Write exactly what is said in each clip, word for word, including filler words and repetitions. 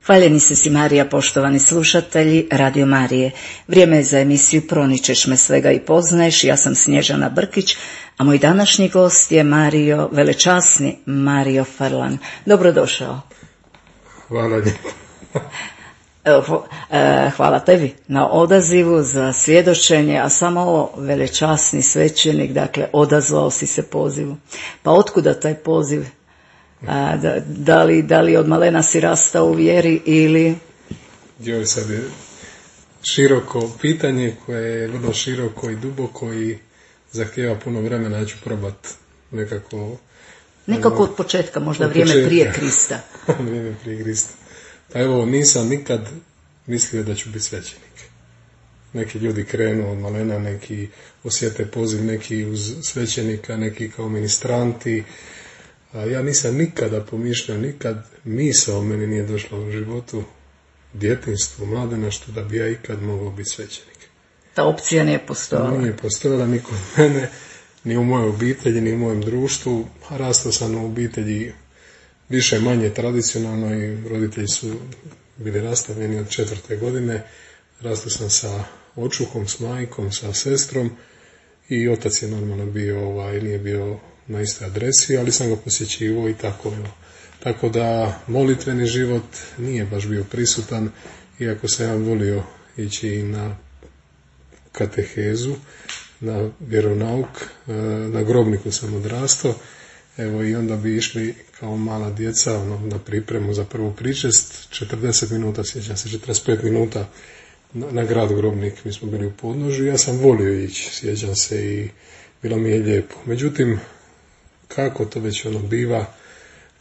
Hvaljeni se si Marija, poštovani slušatelji Radio Marije. Vrijeme je za emisiju Proničeš me svega i poznaješ. Ja sam Snježana Brkić, a moj današnji gost je Mario, velečasni Mario Frlan. Dobrodošao. Hvala lijepo. Hvala tebi na odazivu za svjedočenje, a samo ovo velečasni svećenik, dakle odazvao si se pozivu. Pa otkuda taj poziv? A, da, da, li, da li od malena si rastao u vjeri ili... Joj, sad je široko pitanje koje je vrlo široko i duboko i zahtijeva puno vremena. Ja ću probat nekako... Nekako od početka, možda od vrijeme početka. Prije Krista. Vrijeme prije Krista. Pa evo, nisam nikad mislio da ću biti svećenik. Neki ljudi krenu od malena, neki osjete poziv, neki uz svećenika, neki kao ministranti. A ja nisam nikada pomišljao, nikad misao meni nije došla u životu, djetinjstvu, mladenaštvu, da bi ja ikad mogao biti svećenik. Ta opcija nije postojala. Nije postojala ni kod mene, ni u mojoj obitelji, ni u mojem društvu. Rastao sam u obitelji više manje tradicionalno i roditelji su bili rastavljeni od četvrte godine. Rastao sam sa očuhom, s majkom, sa sestrom i otac je normalno bio, ovaj, nije bio na istoj adresi, ali sam ga posjećivao i tako. Tako da molitveni život nije baš bio prisutan, iako sam ja volio ići na katehezu, na vjeronauk, na grobniku sam odrastao. Evo i onda bi išli kao mala djeca ono, na pripremu za prvu pričest, četrdeset minuta, sjećam se, četrdeset pet minuta na, na grad Grobnik, mi smo bili u podnožju, ja sam volio ići, sjećam se i bilo mi je lijepo. Međutim, kako to već ono biva,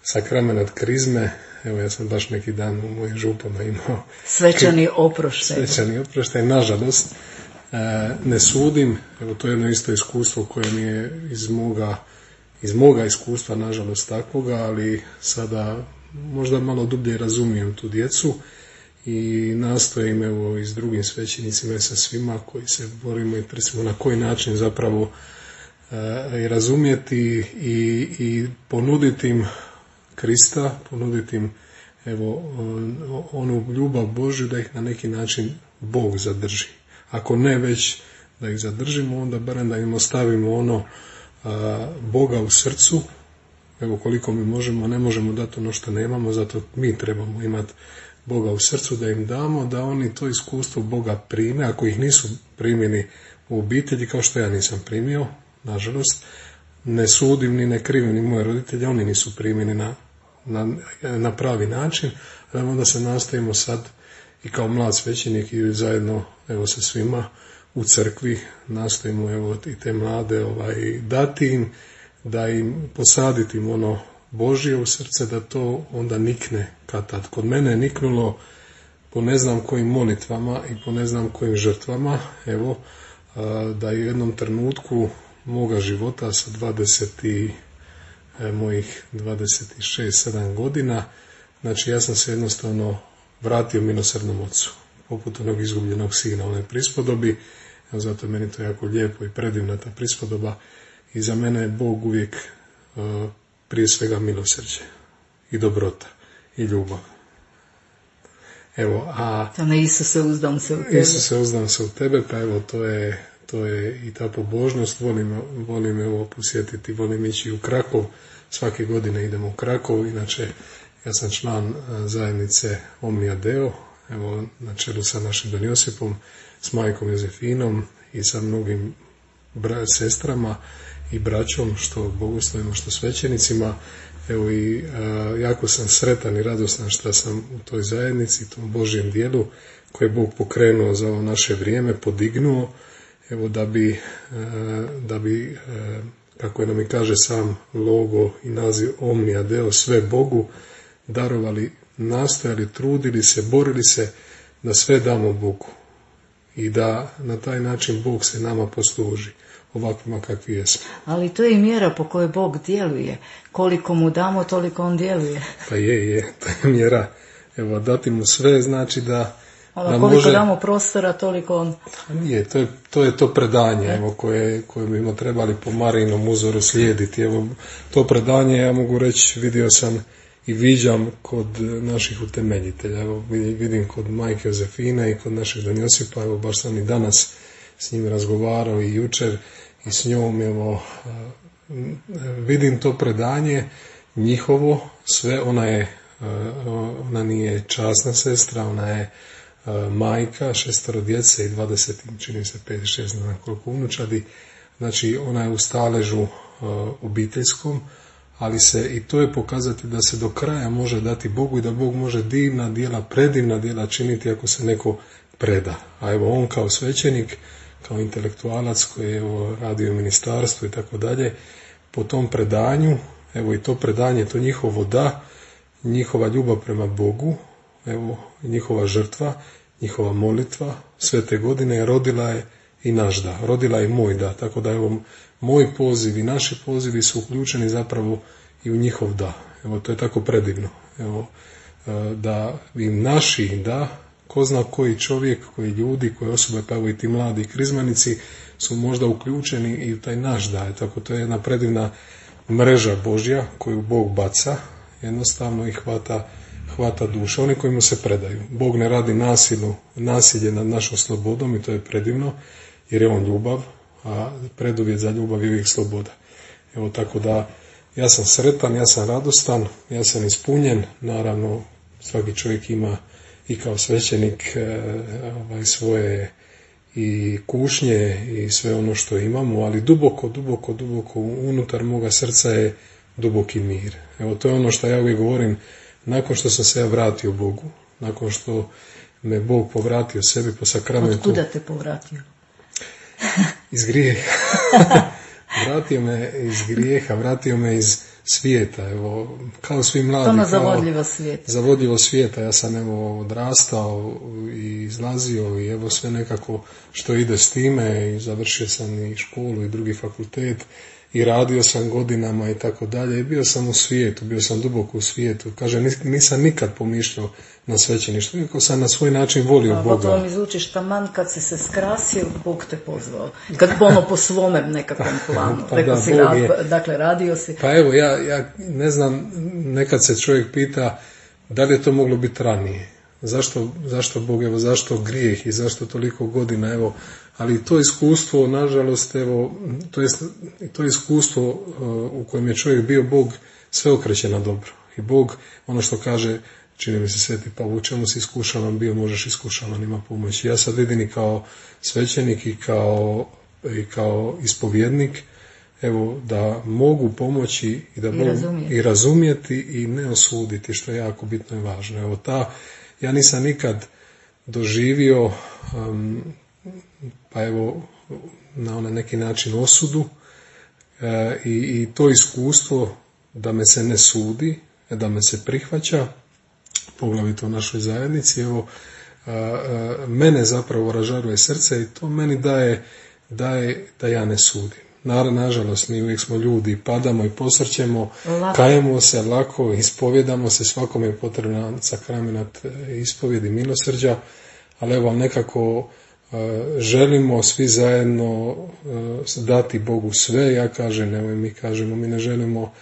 sakrament krizme, evo ja sam baš neki dan u mojim župama imao svečani oproštaj. Svečani oproštaj, nažalost, e, ne sudim, evo to je jedno isto iskustvo koje mi je iz moga iz moga iskustva, nažalost takvoga, ali sada možda malo dublje razumijem tu djecu i nastojim evo i s drugim svećenicima i sa svima koji se borimo i trsimo na koji način zapravo e, i razumjeti i, i ponuditi im Krista, ponuditi im evo onu ljubav Božju da ih na neki način Bog zadrži. Ako ne već da ih zadržimo, onda barem da im ostavimo ono Boga u srcu, evo koliko mi možemo, ne možemo dati ono što nemamo, zato mi trebamo imati Boga u srcu da im damo, da oni to iskustvo Boga prime, ako ih nisu primjeni u obitelji, kao što ja nisam primio, nažalost, ne sudim ni ne krivim ni moje roditelje, oni nisu primjeni na, na, na pravi način, ali onda se nastavimo sad i kao mlad svećenik i zajedno evo sa svima u crkvi nastojimo evo i te mlade ovaj, dati im, da im posaditi im ono Božje u srce, da to onda nikne kad tad. Kod mene je niknulo po ne znam kojim molitvama i po ne znam kojim žrtvama, evo, da je u jednom trenutku moga života sa dvadeset i, e, mojih dvadeset šest sedam godina, znači ja sam se jednostavno vratio milosrdnom ocu, poput onog izgubljenog sina, onoj prispodobi. Zato je meni to jako lijepo i predivna ta prispodoba i za mene je Bog uvijek uh, prije svega milosrđe i dobrota i ljubav. Evo, a... To ne Isuse, uzdam se u tebe. Isuse, uzdam se u tebe, pa evo, to je, to je i ta pobožnost. Volim, volim evo posjetiti, volim ići u Krakov. Svake godine idemo u Krakov, inače ja sam član zajednice Omnia Deo, evo, na čelu sa našim Don Josipom, s majkom Jozefinom i sa mnogim bra- sestrama i braćom, što bogoslovima, što svećenicima. Evo i a, jako sam sretan i radostan što sam u toj zajednici, tom Božjem dijelu koje je Bog pokrenuo za ovo naše vrijeme, podignuo, evo da bi, a, da bi a, kako je nam i kaže sam logo i naziv Omnia Deo, sve Bogu, darovali, nastojali, trudili se, borili se da sve damo Bogu i da na taj način Bog se nama posluži ovakvima kakvi jesmo. Ali to je i mjera po kojoj Bog djeluje. Koliko mu damo, toliko on djeluje. Pa je, je, to je mjera. Evo, dati mu sve znači da... Ono, da koliko može... damo prostora, toliko on... Nije, to je to, je to predanje, evo, koje, koje bi trebali po Marijinom uzoru slijediti. Evo, to predanje, ja mogu reći, vidio sam i viđam kod naših utemeljitelja. Evo, vidim kod majke Jozefine i kod našeg Don Josipa, evo baš sam i danas s njim razgovarao i jučer i s njom, evo, vidim to predanje njihovo, sve, ona je, ona nije časna sestra, ona je majka, šestero djece i dvadeset, čini se pet, šest, ne znam koliko unučadi, znači ona je u staležu obiteljskom, ali se i to je pokazati da se do kraja može dati Bogu i da Bog može divna djela, predivna djela činiti ako se neko preda. A evo on kao svećenik, kao intelektualac koji je evo, radio u ministarstvu i tako dalje, po tom predanju, evo i to predanje, to njihovo da, njihova ljubav prema Bogu, evo njihova žrtva, njihova molitva, sve te godine rodila je i naš da, rodila je moj da, tako da evo moj poziv i naši pozivi su uključeni zapravo i u njihov da. Evo to je tako predivno. Evo da im naši da, ko zna koji čovjek, koji ljudi, koje osobe, pa evo i ti mladi krizmanici su možda uključeni i u taj naš da. Tako to je jedna predivna mreža Božja koju Bog baca, jednostavno i hvata, hvata duše. Oni koji mu se predaju. Bog ne radi nasilu, nasilje nad našom slobodom i to je predivno, jer je on ljubav, a preduvjet za ljubav je uvijek sloboda. Evo tako da ja sam sretan, ja sam radostan, ja sam ispunjen, naravno svaki čovjek ima i kao svećenik e, ovaj, svoje i kušnje i sve ono što imamo, ali duboko, duboko, duboko unutar moga srca je duboki mir. Evo to je ono što ja uvijek govorim, nakon što sam se ja vratio Bogu, nakon što me Bog povratio sebi po sakramentu. Otkuda te povratio? Iz grijeha. Vratio me iz grijeha, vratio me iz svijeta, evo, kao svi mladi. Ono zavodljivo svijeta. Zavodljivo svijeta, ja sam evo odrastao i izlazio i evo sve nekako što ide s time i završio sam i školu i drugi fakultet i radio sam godinama i tako dalje i bio sam u svijetu, bio sam duboko u svijetu. Kaže, nisam nikad pomišljao na svećeništvo, iako sam na svoj način volio A, Boga. Gotovo mi zvučiš taman kad si se skrasio, Bog te pozvao. Kad ono po svome nekakvom planu. Pa Rekao da, si, Bog rad, je. dakle, radio si. Pa evo, ja, ja ne znam, nekad se čovjek pita da li je to moglo biti ranije. Zašto, zašto Bog, evo, zašto grijeh i zašto toliko godina, evo, ali to iskustvo, nažalost, evo, to je to iskustvo uh, u kojem je čovjek bio, Bog sve okreće na dobro. I Bog, ono što kaže, čini mi se Sveti Pavao, u čemu si iskušavan bio, možeš iskušavan, ima pomoći. Ja sad vidim i kao svećenik i kao, i kao ispovjednik, evo, da mogu pomoći i da I Bog, razumijeti. i razumjeti i ne osuditi, što je jako bitno i važno. Evo, ta, ja nisam nikad doživio um, pa evo na onaj neki način osudu e, i, i to iskustvo da me se ne sudi, da me se prihvaća, poglavito u našoj zajednici, evo, a, a, mene zapravo ražaruje srce i to meni daje, daje da ja ne sudim. Naravno, nažalost, mi uvijek smo ljudi, padamo i posrćemo, Lako. kajemo se lako, ispovjedamo se, svakome je potrebna sakramenat ispovjedi milosrđa, ali evo nekako želimo svi zajedno dati Bogu sve. Ja kažem, evo mi kažemo, mi ne želimo,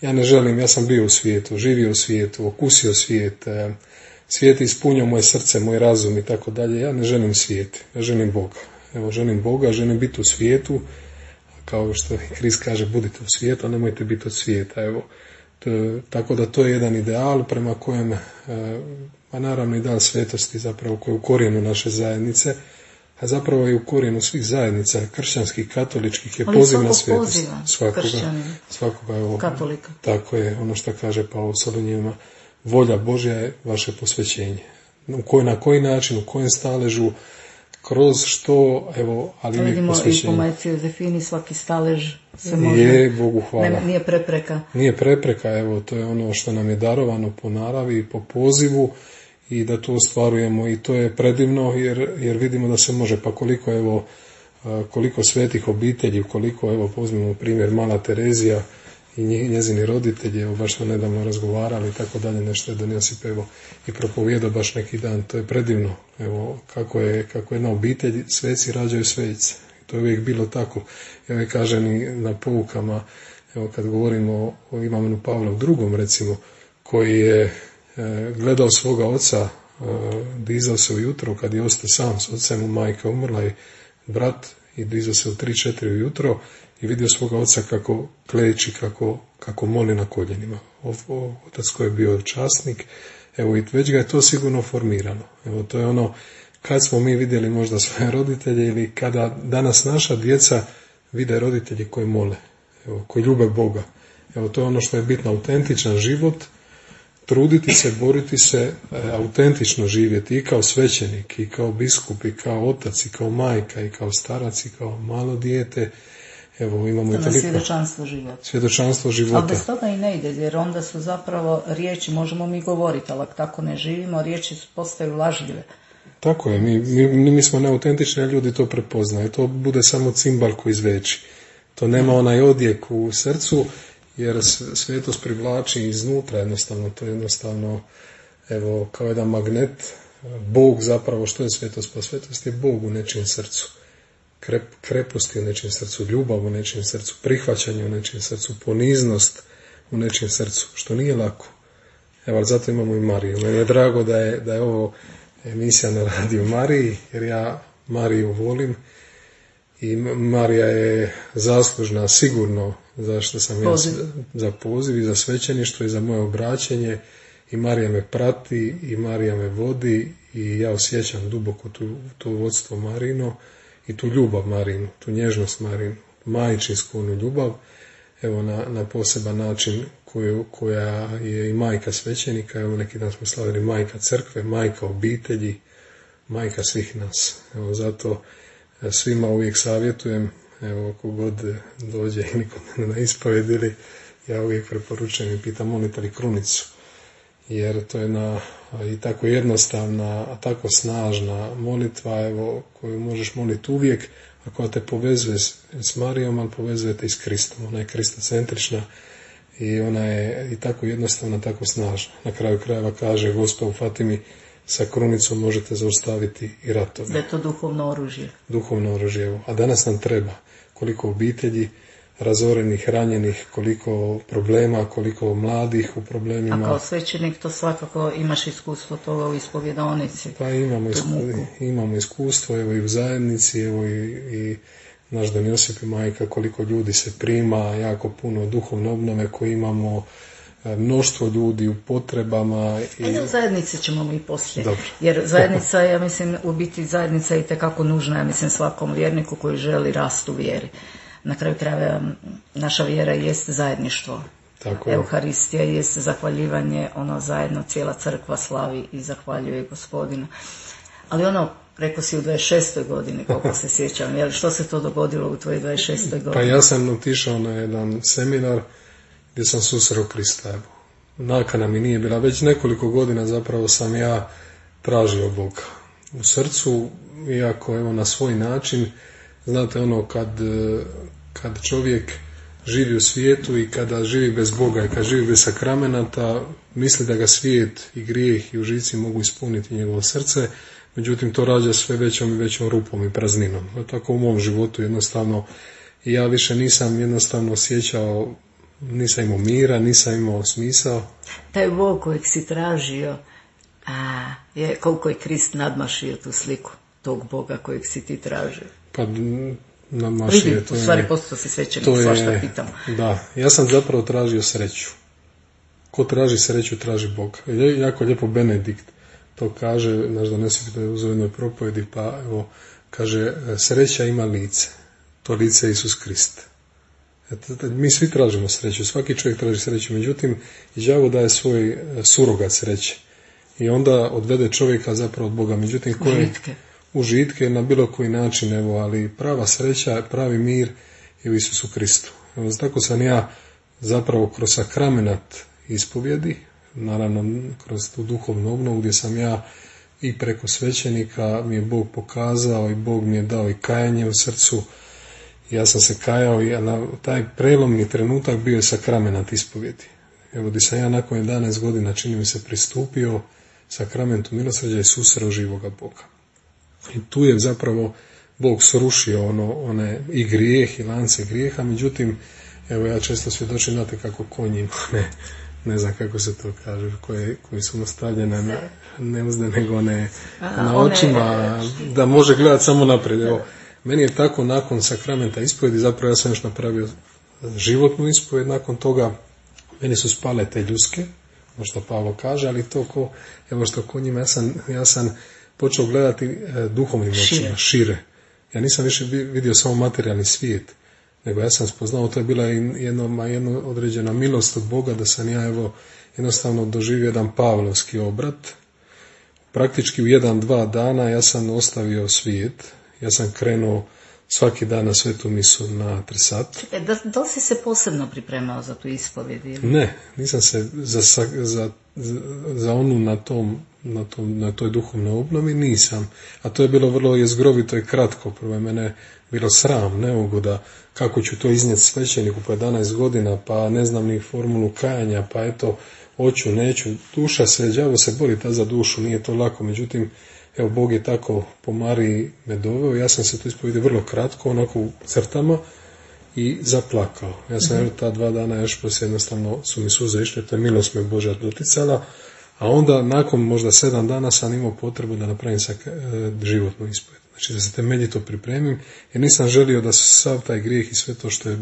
ja ne želim, ja sam bio u svijetu, živio u svijetu, okusio svijet, svijet je ispunio moje srce, moj razum i tako dalje. Ja ne želim svijet, ja želim Boga. Evo, želim Boga, želim biti u svijetu, kao što Krist kaže, budite u svijetu, a nemojte biti od svijeta. Evo, to, tako da to je jedan ideal prema kojem, a naravno ideal svetosti zapravo koji je u korijenu naše zajednice, a zapravo je u korijenu svih zajednica, kršćanskih, katoličkih, je poziv na svetost. Svakoga, svakoga, evo, katolika. Tako je, ono što kaže Pavao Solunjima, volja Božja je vaše posvećenje. U koj, na koji način, u kojem staležu, kroz što, evo, ali uvijek posvećenje. Vidimo i po majci Jozefini svaki stalež se može. Je, Bogu hvala. Ne, nije prepreka. Nije prepreka, evo, to je ono što nam je darovano po naravi i po pozivu i da to ostvarujemo i to je predivno jer, jer vidimo da se može, pa koliko, evo, koliko svetih obitelji, koliko, evo, pozmimo primjer Mala Terezija i njezini roditelji, evo, baš smo nedavno razgovarali i tako dalje, nešto je Don Josip, evo, i propovijedao baš neki dan, to je predivno, evo, kako je, kako jedna obitelj, sveci rađaju svecice, to je uvijek bilo tako, evo, kažem i na poukama, evo, kad govorimo o Ivanu Pavlu drugom, recimo, koji je e, gledao svoga oca, e, dizao se ujutro kad je ostao sam s ocem, mu majka umrla i brat, i dizao se u tri četiri ujutro i vidio svoga oca kako kleči, kako, kako moli na koljenima. O, o, otac koji je bio časnik, evo i već ga je to sigurno formirano. Evo to je ono, kad smo mi vidjeli možda svoje roditelje ili kada danas naša djeca vide roditelji koji mole, evo, koji ljube Boga. Evo to je ono što je bitno, autentičan život, truditi se, boriti se, e, autentično živjeti i kao svećenik, i kao biskup, i kao otac, i kao majka, i kao starac, i kao malo dijete. Evo, imamo i toliko... Svjedočanstvo života. Svjedočanstvo života. Ali bez toga i ne ide, jer onda su zapravo riječi, možemo mi govoriti, ali tako ne živimo, riječi postaju lažljive. Tako je, mi, mi, mi smo neautentični, a ljudi to prepoznaju. To bude samo cimbal koji izveči. To nema onaj odjek u srcu, jer svetost privlači iznutra jednostavno. To je jednostavno, evo, kao jedan magnet. Bog zapravo, što je svetost? Pa svetost je Bog u nečijem srcu. Krep, krepost je u nečijem srcu, ljubav u nečijem srcu, prihvaćanje u nečijem srcu, poniznost u nečijem srcu, što nije lako. Evo, ali zato imamo i Mariju. Meni je drago da je, da je ovo emisija na radiju Mariji, jer ja Mariju volim i Marija je zaslužna sigurno za što sam poziv. ja za poziv i za svećeništvo i za moje obraćenje, i Marija me prati i Marija me vodi i ja osjećam duboko tu, to vodstvo Marino i tu ljubav Marinu, tu nježnost Marinu, majčinsku onu ljubav, evo na, na poseban način koju, koja je i majka svećenika. Evo neki dan smo slavili majka crkve, majka obitelji, majka svih nas. Evo zato svima uvijek savjetujem, evo kogod dođe ili kod mene na ispoved, ili ja uvijek preporučujem i pitam molite li krunicu, jer to je jedna i tako jednostavna, a tako snažna molitva, evo, koju možeš moliti uvijek, a koja te povezuje s, s Marijom, ali povezuje te i s Kristom. Ona je kristocentrična i ona je i tako jednostavna, tako snažna. Na kraju krajeva kaže Gospa u Fatimi, sa krunicom možete zaustaviti i ratove. Da je to duhovno oružje. Duhovno oružje, evo. A danas nam treba koliko obitelji razorenih, ranjenih, koliko problema, koliko mladih u problemima. A kao svećenik to svakako imaš iskustvo toga u ispovjedonici. Pa imamo, isku, imamo iskustvo, evo i u zajednici, evo i, i naš Dan Josip i majka, koliko ljudi se prima, jako puno duhovne obnove koje imamo, mnoštvo ljudi u potrebama. I... Ajde, u zajednici ćemo mi poslije. Dobro. Jer zajednica, ja mislim, u biti zajednica je itekako nužna, ja mislim, svakom vjerniku koji želi rast u vjeri. Na kraju krajeva naša vjera jest zajedništvo. Tako je. Euharistija jest zahvaljivanje, ono zajedno cijela crkva slavi i zahvaljuje Gospodina. Ali ono, rekao si u dvadeset šestoj godini, koliko se sjećam, jel, što se to dogodilo u tvojoj dvadeset šestoj godini? Pa ja sam otišao na jedan seminar gdje sam susreo Krista. Evo. Nakana mi nije bila, već nekoliko godina zapravo sam ja tražio Boga. U srcu, iako evo na svoj način, znate ono kad, kad čovjek živi u svijetu i kada živi bez Boga i kad živi bez sakramenata, misli da ga svijet i grijeh i užici mogu ispuniti njegovo srce, međutim to rađa sve većom i većom rupom i prazninom. Tako u mom životu jednostavno ja više nisam jednostavno osjećao, nisam imao mira, nisam imao smisao. Taj Bog kojeg si tražio, a, je, koliko je Krist nadmašio tu sliku tog Boga kojeg si ti tražio? Pa nadmašio je. U stvari postao si svećenik, svašta pitam. Da, ja sam zapravo tražio sreću. Ko traži sreću, traži Boga. Jako lijepo Benedikt to kaže, naš Dan Josip to je u jednoj propovjedi, pa evo, kaže, sreća ima lice. To lice je Isus Krist. Mi svi tražimo sreću, svaki čovjek traži sreću, međutim, đavo daje svoj surogat sreće. I onda odvede čovjeka zapravo od Boga. Međutim, koje užitke. Užitke na bilo koji način, evo, ali prava sreća, pravi mir je u Isusu Kristu. Evo, tako sam ja zapravo kroz sakramenat ispovjedi, naravno kroz tu duhovnu obnovu gdje sam ja i preko svećenika mi je Bog pokazao i Bog mi je dao i kajanje u srcu. Ja sam se kajao i na taj prelomni trenutak bio je sakramenat ispovjedi. Evo, gdje sam ja nakon jedanaest godina, čini mi se, pristupio sakramentu milosrđa i susreo živoga Boga. I tu je zapravo Bog srušio ono, one i grijeh i lance grijeha, međutim, evo ja često svjedočim, znate kako konj ima ne, ne znam kako se to kaže, koje, koje su mu stavljene na, ne uzde nego ne A, na očima, one... da može gledati samo naprijed. Evo, meni je tako nakon sakramenta ispovjedi, zapravo ja sam još napravio životnu ispovjed, nakon toga meni su spale te ljuske, ono što Pavlo kaže, ali to ko, evo što ko njima, ja sam, ja sam počeo gledati e, duhovnim očima, šire. šire. Ja nisam više vidio samo materijalni svijet, nego ja sam spoznao, to je bila jedna, jedna određena milost od Boga, da sam ja evo jednostavno doživio jedan pavlovski obrat. Praktički u jedan, dva dana ja sam ostavio svijet, ja sam krenuo svaki dan na svetu misu na Trsat. E, da, da li si se posebno pripremao za tu ispovjed? Ili? Ne, nisam se za, za, za onu na tom, na, tom, na toj duhovnoj obnovi nisam. A to je bilo vrlo jezgrovito i kratko. Prvo je mene bilo sram, neugoda, kako ću to iznijeti svećeniku po jedanaest godina, pa ne znam ni formulu kajanja, pa eto, hoću, neću. Duša se, đavo se bori ta za dušu, nije to lako. Međutim, evo, Bog je tako po Mariji me doveo, ja sam se to ispovidio vrlo kratko, onako u crtama i zaplakao. Ja sam mm-hmm. ta dva dana još poslije jednostavno su mi suze išle, to je milost me Božja doticala, a onda nakon možda sedam dana sam imao potrebu da napravim sa, e, životnu ispovijed. Znači da se temeljito pripremim, jer nisam želio da sav taj grijeh i sve to što je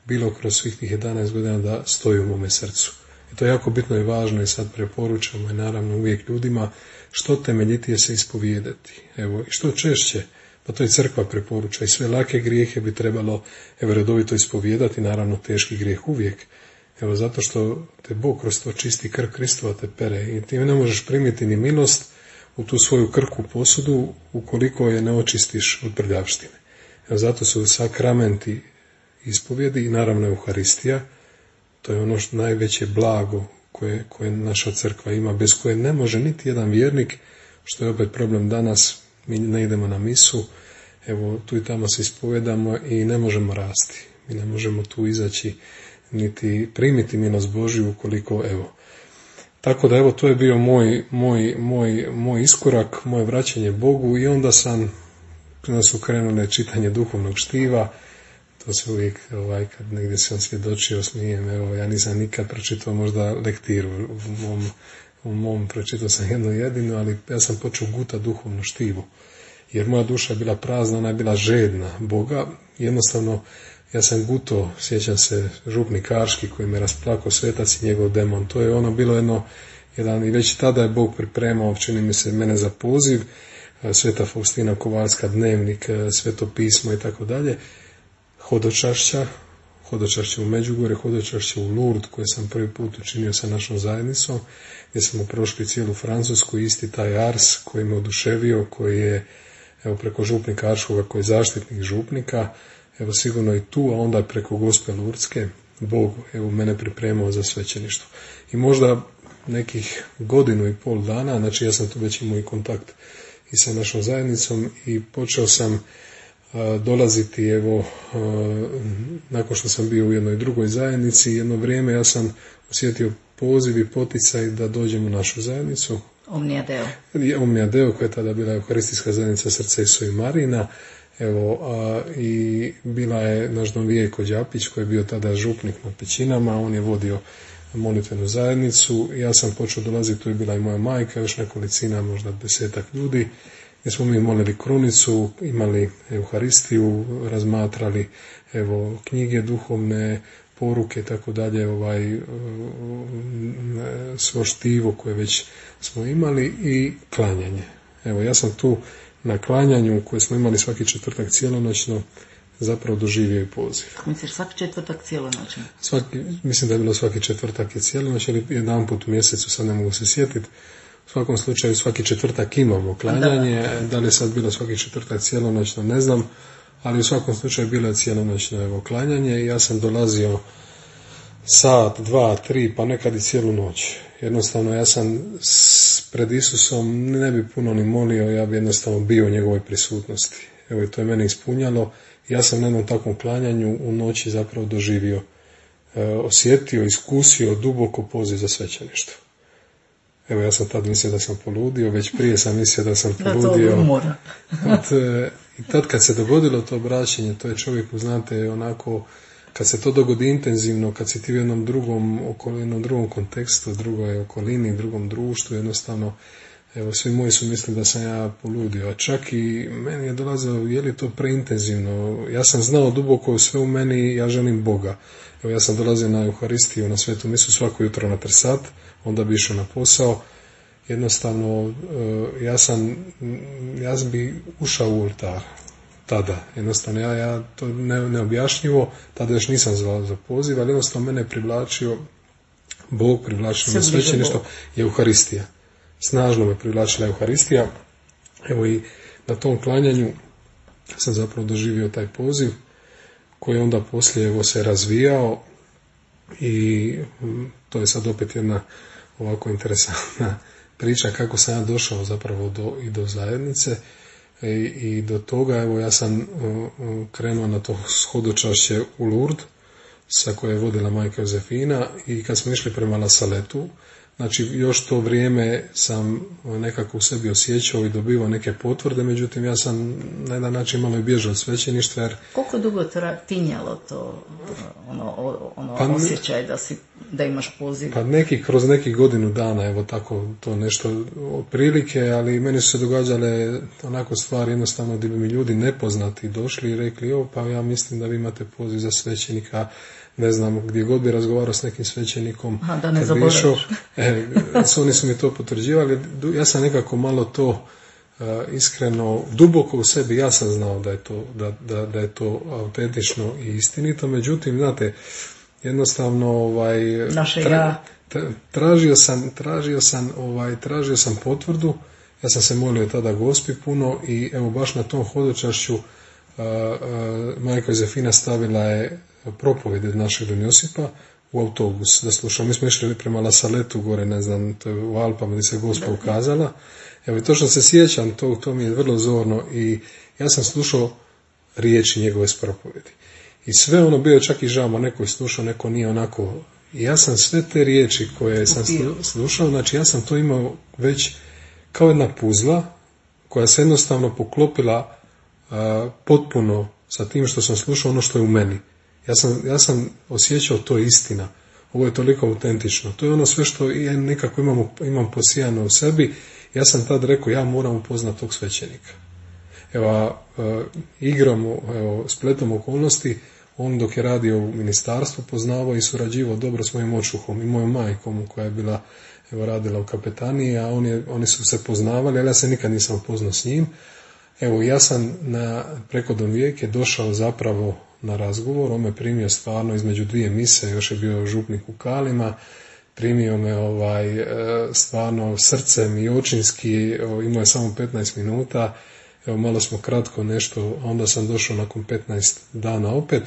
bilo kroz svih tih jedanaest godina da stoji u mome srcu. I to je jako bitno i važno i sad preporučamo i naravno uvijek ljudima što temeljitije se ispovijedati. Evo, i što češće, pa to i crkva preporuča, i sve lake grijehe bi trebalo evo, redovito ispovijedati, naravno teški grijeh uvijek. Evo, zato što te Bog kroz to čisti, krv Kristova te pere i ti ne možeš primiti ni milost u tu svoju krku posudu ukoliko je ne očistiš od prljavštine. Evo, zato su sakramenti ispovjedi i naravno Euharistija, to je ono što najveće blago koje, koje naša crkva ima, bez koje ne može niti jedan vjernik, što je opet problem danas, mi ne idemo na misu, evo tu i tamo se ispovedamo i ne možemo rasti. Mi ne možemo tu izaći niti primiti milost Božju ukoliko, evo. Tako da evo to je bio moj, moj, moj, moj iskorak, moje vraćanje Bogu i onda sam, onda su krenule čitanje duhovnog štiva. To se uvijek, ovaj, kad negdje sam svjedočio, smijem, evo, ja nisam nikad pročitao možda lektiru, u mom, u mom pročitao sam jednu jedinu, ali ja sam počeo guta duhovnu štivu, jer moja duša je bila prazna, ona je bila žedna Boga, jednostavno, ja sam guto, sjećam se, župnik Karški koji me rasplakao, svetac i njegov demon, to je ono bilo jedno, jedan, i već tada je Bog pripremao, čini mi se, mene za poziv, Sveta Faustina Kovalska, dnevnik, Sveto pismo i tako dalje, hodočašća, hodočašće u Međugorje, hodočašće u Lourdes, koje sam prvi put učinio sa našom zajednicom, gdje smo prošli cijelu Francusku, isti taj Ars koji me oduševio, koji je evo, preko župnika Arškoga, koji je zaštitnik župnika, evo sigurno i tu, a onda preko Gospe Lurdske, Bog evo, mene pripremao za svećeništvo. I možda nekih godinu i pol dana, znači ja sam tu već imao i kontakt i sa našom zajednicom i počeo sam dolaziti, evo, nakon što sam bio u jednoj drugoj zajednici, jedno vrijeme ja sam osjetio poziv i poticaj da dođem u našu zajednicu. Omnia Deo. Omnia Deo, koja je tada bila Euharistijska zajednica Srca Isuse i Marina. Evo, a, i bila je naš Don Vijeko Đapić, koji je bio tada župnik na Pećinama, on je vodio molitvenu zajednicu. Ja sam počeo dolaziti, tu je bila i moja majka, još nekolicina, možda desetak ljudi, gdje smo mi molili krunicu, imali Euharistiju, razmatrali evo, knjige duhovne, poruke, tako dalje, ovaj, svo štivo koje već smo imali i klanjanje. Evo, ja sam tu na klanjanju koje smo imali svaki četvrtak cijelonoćno zapravo doživio i poziv. Misliš svaki četvrtak cijelonoćno? Svaki, mislim da je bilo svaki četvrtak je cijelonoć, ali jedan put u mjesecu, sad ne mogu se sjetiti. U svakom slučaju svaki četvrtak imamo klanjanje, da, da li je sad bilo svaki četvrtak cijelonoćno, ne znam, ali u svakom slučaju bilo je cijelonoćno evo, klanjanje i ja sam dolazio sat, dva, tri, pa nekad i cijelu noć. Jednostavno ja sam pred Isusom ne bi puno ni molio, ja bi jednostavno bio u njegovoj prisutnosti. Evo i to je mene ispunjalo. Ja sam na jednom takvom klanjanju u noći zapravo doživio, e, osjetio, iskusio duboko poziv za svećeništvo. Evo ja sam tad mislio da sam poludio, već prije sam mislio da sam poludio. Tad, e, I tad kad se dogodilo to obraćenje, to je čovjeku, znate, onako kad se to dogodi intenzivno, kad si ti u jednom drugom, jednom drugom kontekstu, drugoj okolini, drugom društvu, jednostavno, evo, svi moji su mislili da sam ja poludio, a čak i meni je dolazilo, je li to preintenzivno? Ja sam znao duboko sve u meni, ja želim Boga. Evo, ja sam dolazio na Euharistiju, na svetu misu svako jutro na tri sat, onda bi išao na posao. Jednostavno, ja sam, ja bi ušao u oltar tada. Jednostavno, ja, ja to ne, neobjašnjivo, tada još nisam zvao za poziv, ali jednostavno mene je privlačio Bog, privlačio me svećeništvo i Euharistija. Snažno me privlačila Euharistija. Evo i na tom klanjanju sam zapravo doživio taj poziv koji onda poslije evo se razvijao i to je sad opet jedna ovako interesantna priča kako sam ja došao zapravo do, i do zajednice i, i do toga. Evo ja sam uh, krenuo na to hodočašće u Lourdes sa koje je vodila majka Jozefina i kad smo išli prema La Saletu, znači još to vrijeme sam nekako u sebi osjećao i dobivao neke potvrde, međutim ja sam na jedan način malo i bježao od svećeništva. Jer... Koliko dugo tinjalo to ono, ono pa, osjećaj da, si, da imaš poziv? Pa neki, kroz nekih godinu dana, evo tako to nešto otprilike, ali meni su se događale onako stvari jednostavno gdje bi mi ljudi nepoznati došli i rekli, o pa ja mislim da vi imate poziv za svećenika, ne znam, gdje god bi razgovarao s nekim svećenikom, aha, da ne zaboraviš. E, oni su mi to potvrđivali, ja sam nekako malo to uh, iskreno, duboko u sebi, ja sam znao da je to, da, da, da je to autentično i istinito, međutim, znate, jednostavno, ovaj, tra, tra, tražio sam, tražio sam, ovaj, tražio sam potvrdu, ja sam se molio tada Gospi puno i evo baš na tom hodočašću uh, uh, majka Jozefina stavila je propovjed od našeg Don Josipa u autobus da slušamo. Mi smo išli prema La Saletu gore, ne znam, to je u Alpama gdje se Gospa ukazala. Evo i točno se sjećam, to, to mi je vrlo zorno i ja sam slušao riječi njegove s propovjedi. I sve ono bio čak i žama, neko je slušao, neko nije onako. I ja sam sve te riječi koje sam slušao, znači ja sam to imao već kao jedna puzla koja se jednostavno poklopila a, potpuno sa tim što sam slušao ono što je u meni. Ja sam, ja sam osjećao to je istina. Ovo je toliko autentično. To je ono sve što ja nekako imam, imam posijano u sebi. Ja sam tad rekao, ja moram upoznati tog svećenika. Evo, e, igrom, evo, spletom okolnosti, on dok je radio u ministarstvu poznavao i surađivao dobro s mojim očuhom i mojom majkom koja je bila, evo, radila u kapetaniji, a on je, oni su se poznavali, ali ja se nikad nisam upoznao s njim. Evo, ja sam na, preko Don Vijeke došao zapravo na razgovor, on me primio stvarno između dvije mise, još je bio župnik u Kalima, primio me ovaj, stvarno srcem i očinski, imao je samo petnaest minuta, evo malo smo kratko nešto, onda sam došao nakon petnaest dana opet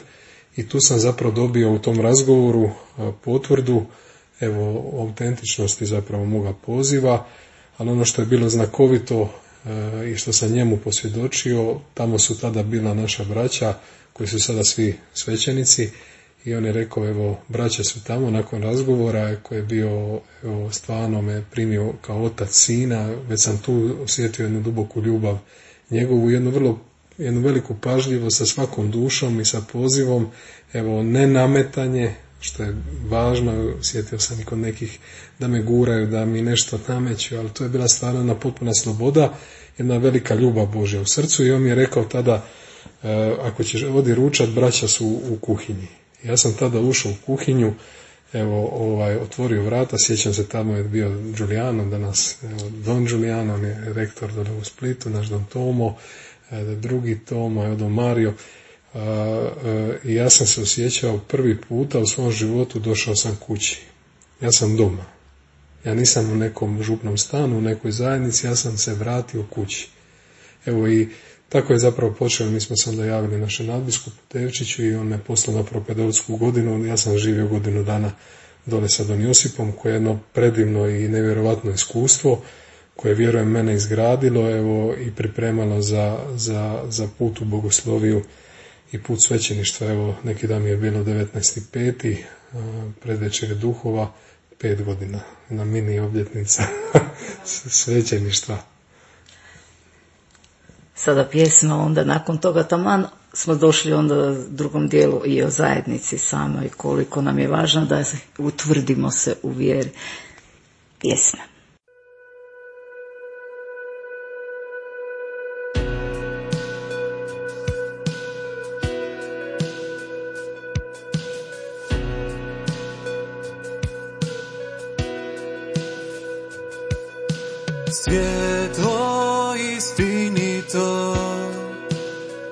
i tu sam zapravo dobio u tom razgovoru potvrdu, evo, autentičnosti zapravo moga poziva, ali ono što je bilo znakovito i što sam njemu posvjedočio, tamo su tada bila naša braća koji su sada svi svećenici i on je rekao, evo, braća su tamo nakon razgovora koji je bio, evo, stvarno me primio kao otac sina, već sam tu osjetio jednu duboku ljubav njegovu, jednu vrlo, jednu veliku pažljivost sa svakom dušom i sa pozivom, evo, ne nametanje, što je važno, osjetio sam i kod nekih da me guraju, da mi nešto nameću, ali to je bila stvarno jedna potpuna sloboda, jedna velika ljubav Božja u srcu i on mi je rekao tada, e, ako ćeš odi ručat, braća su u kuhinji. Ja sam tada ušao u kuhinju, evo, ovaj, otvorio vrata, sjećam se, tamo je bio Giuliano, danas evo, Don Giuliano, on je rektor dole u Splitu, naš Don Tomo, e, drugi Tomo, evo Don Mario, i e, e, ja sam se osjećao prvi puta u svom životu, došao sam kući. Ja sam doma. Ja nisam u nekom župnom stanu, u nekoj zajednici, ja sam se vratio kući. Evo i tako je zapravo počelo, mi smo se onda javili našem nadbiskupu Tevčiću i on me poslao na propedeutsku godinu, ja sam živio godinu dana dole sa Don Josipom, koje je jedno predivno i nevjerovatno iskustvo, koje vjerujem mene izgradilo, evo, i pripremalo za, za, za put u bogosloviju i put svećeništva. Evo, neki dan mi je bilo devetnaesti peti predvečer duhova, pet godina, na mini obljetnica svećeništva. Sada pjesma, onda nakon toga taman smo došli onda drugom dijelu i o zajednici samoj, koliko nam je važno da utvrdimo se u vjeri. Pjesma. Svjetlo istinito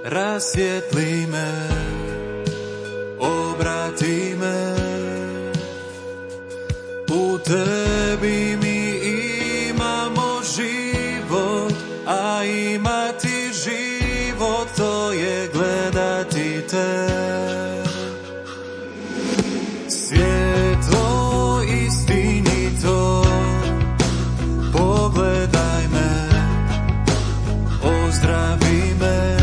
rasvijetli me, obrati me, u tebi mi imamo život, a imati život to je gledati te. Svjetlo istinito, pogledaj me, ozdravi me,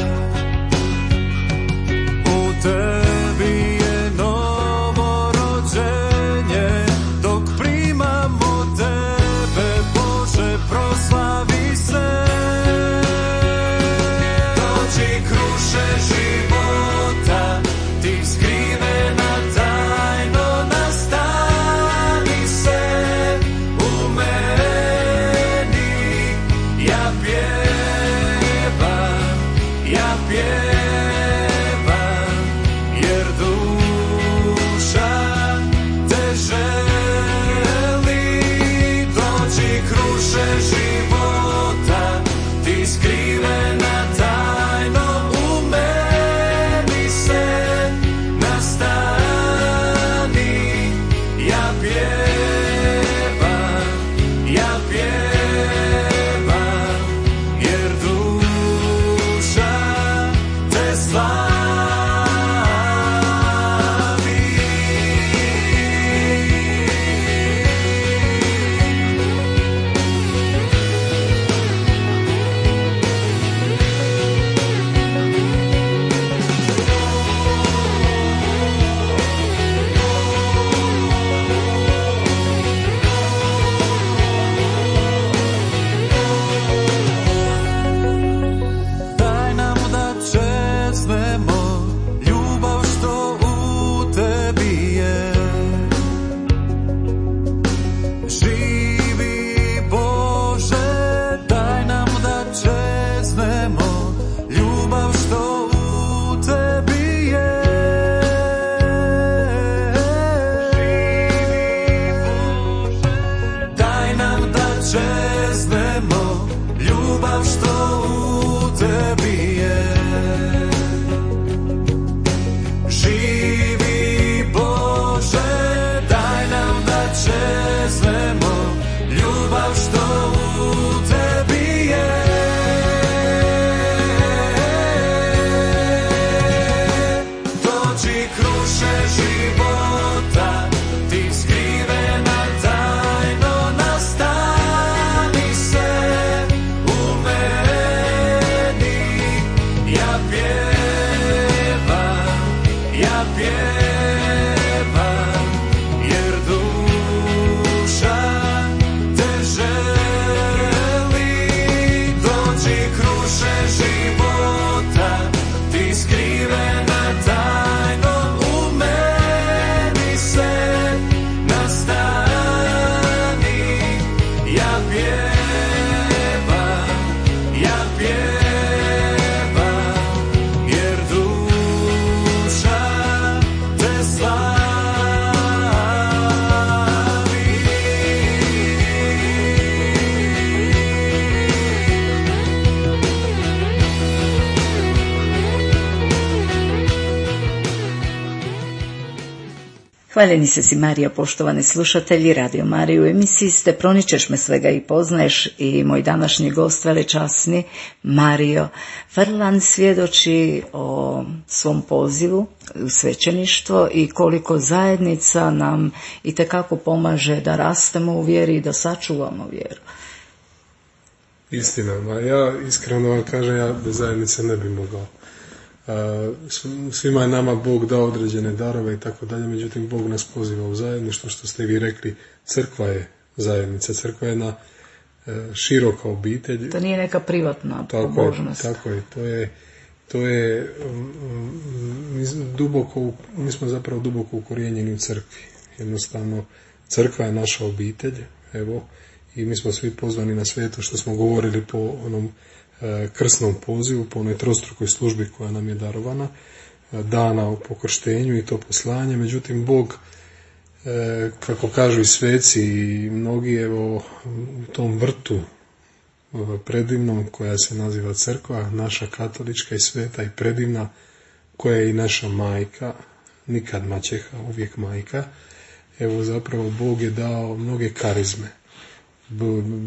u tebi je novo rođenje, dok primamo tebe, Bože, proslavi se. Dođi kruše života, ti skrivena tajno, nastani se u meni. Ja pjevam, ja pjevam, jer duša te želi. Dođi kruše života, ti skrivena tajno, u meni se nastani. Ja pjevam, ja pjevam, jer duša te slavi. Daj nam da čeznemo ljubav što u tebi je. Živi Bože, daj nam da čeznemo ljubav što u tebi je. Živi Bože, daj nam da čeznemo ljubav što u tebi je. Živi Bože, daj nam da čeznemo ljubav što u tebi je. Dođi kruše života, ti skrivena tajno, nastani se u meni. Ja pjevam, ja pjevam, jer duša te želi. Dođi kruše života, ti skrivena tajno, u meni se nastani. Ja pjevam, ja pjevam, jer duša te slavi. Hvaljeni se si Marija, poštovani slušatelji Radio Marije, u emisiji ste Proničeš me svega i poznaješ i moj današnji gost velečasni Mario Frlan svjedoči o svom pozivu u svećeništvo i koliko zajednica nam itekako pomaže da rastemo u vjeri i da sačuvamo vjeru. Istina, ma ja iskreno vam kažem, ja bez zajednice ne bi mogao. Svima je nama Bog dao određene darove i tako dalje, međutim Bog nas poziva u zajedništvo, što ste vi rekli, crkva je zajednica, crkva je jedna široka obitelj. To nije neka privatna pobožnost. Tako je, to je to je mi, duboko, mi smo zapravo duboko ukorijenjeni u crkvi. Jednostavno, crkva je naša obitelj, evo, i mi smo svi pozvani na sveto, što smo govorili po onom e, krsnom pozivu, po onoj trostrukoj službi koja nam je darovana, e, dana po krštenju i to poslanje. Međutim, Bog, e, kako kažu i sveci i mnogi, evo, u tom vrtu predivnom koja se naziva crkva, naša katolička i sveta i predivna, koja je i naša majka, nikad maćeha, uvijek majka. Evo, zapravo Bog je dao mnoge karizme.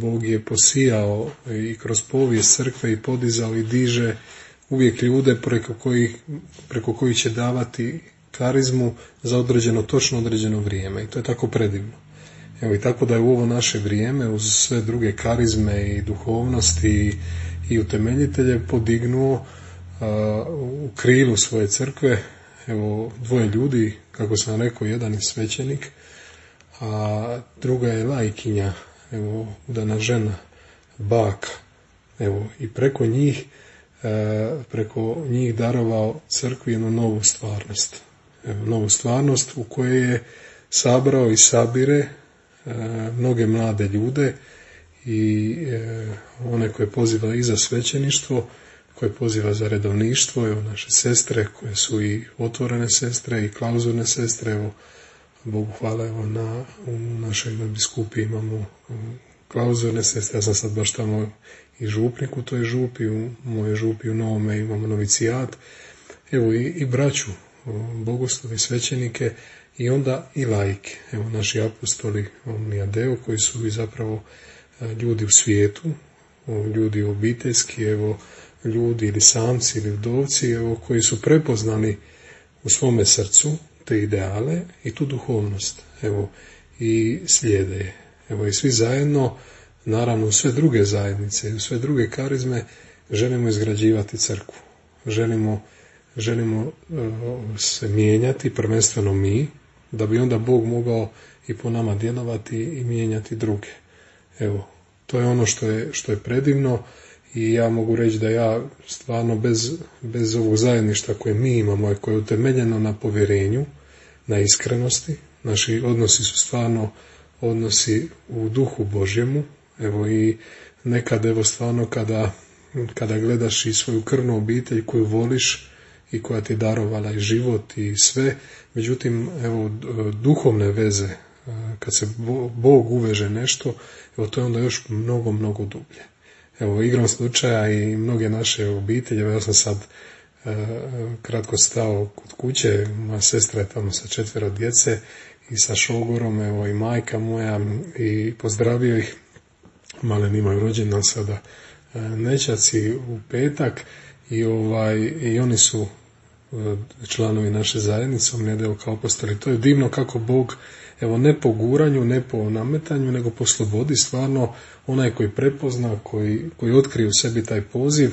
Bog je posijao i kroz povijest crkve i podizao i diže uvijek ljude preko kojih, preko kojih će davati karizmu za određeno, točno određeno vrijeme. I to je tako predivno. Evo, i tako da je u ovo naše vrijeme, uz sve druge karizme i duhovnosti i, i utemeljitelje, podignuo a, u krilu svoje crkve, evo, dvoje ljudi, kako sam rekao, jedan je svećenik, a druga je lajkinja, evo, udana žena, baka, evo, i preko njih, e, preko njih darovao crkvi jednu novu stvarnost. Evo, novu stvarnost u kojoj je sabrao i sabire e, mnoge mlade ljude i e, one koje poziva i za svećeništvo, koje poziva za redovništvo, evo, naše sestre koje su i otvorene sestre i klauzurne sestre, evo, Bogu hvala, evo, na, u našoj biskupi imamo klauzurne sestre, ja sam sad baš tamo i župnik u toj župi, u moje župi u Novome imamo novicijat, evo, i, i braću, bogoslovi, svećenike i onda i laike, evo, naši apostoli, omnijadeo, koji su i zapravo ljudi u svijetu, ljudi obiteljski, evo, ljudi ili samci ili vdovci, evo, koji su prepoznali u svome srcu te ideale i tu duhovnost, evo, i slijede je. Evo, i svi zajedno, naravno u sve druge zajednice i u sve druge karizme, želimo izgrađivati crkvu. Želimo, želimo uh, se mijenjati, prvenstveno mi, da bi onda Bog mogao i po nama djelovati i mijenjati druge. Evo, to je ono što je, što je predivno. I ja mogu reći da ja stvarno bez, bez ovog zajedništva koje mi imamo i koje je utemeljeno na povjerenju, na iskrenosti, naši odnosi su stvarno odnosi u duhu Božjemu, evo, i nekad, evo, stvarno kada, kada gledaš i svoju krvnu obitelj koju voliš i koja ti je darovala i život i sve, međutim, evo, duhovne veze, kad se Bog uveže nešto, evo, to je onda još mnogo, mnogo dublje. Evo, igrom slučaja i mnoge naše obitelje, ja sam sad e, kratko stao kod kuće, moja sestra je tamo sa četvero djece i sa šogorom, evo, i majka moja, i pozdravio ih, malen imaju rođendan sada e, nećaci u petak i, ovaj, i oni su e, članovi naše zajednice, omnijadeo kao apostoli. To je divno kako Bog, evo, ne po guranju, ne po nametanju, nego po slobodi, stvarno onaj koji prepozna, koji, koji otkrije u sebi taj poziv,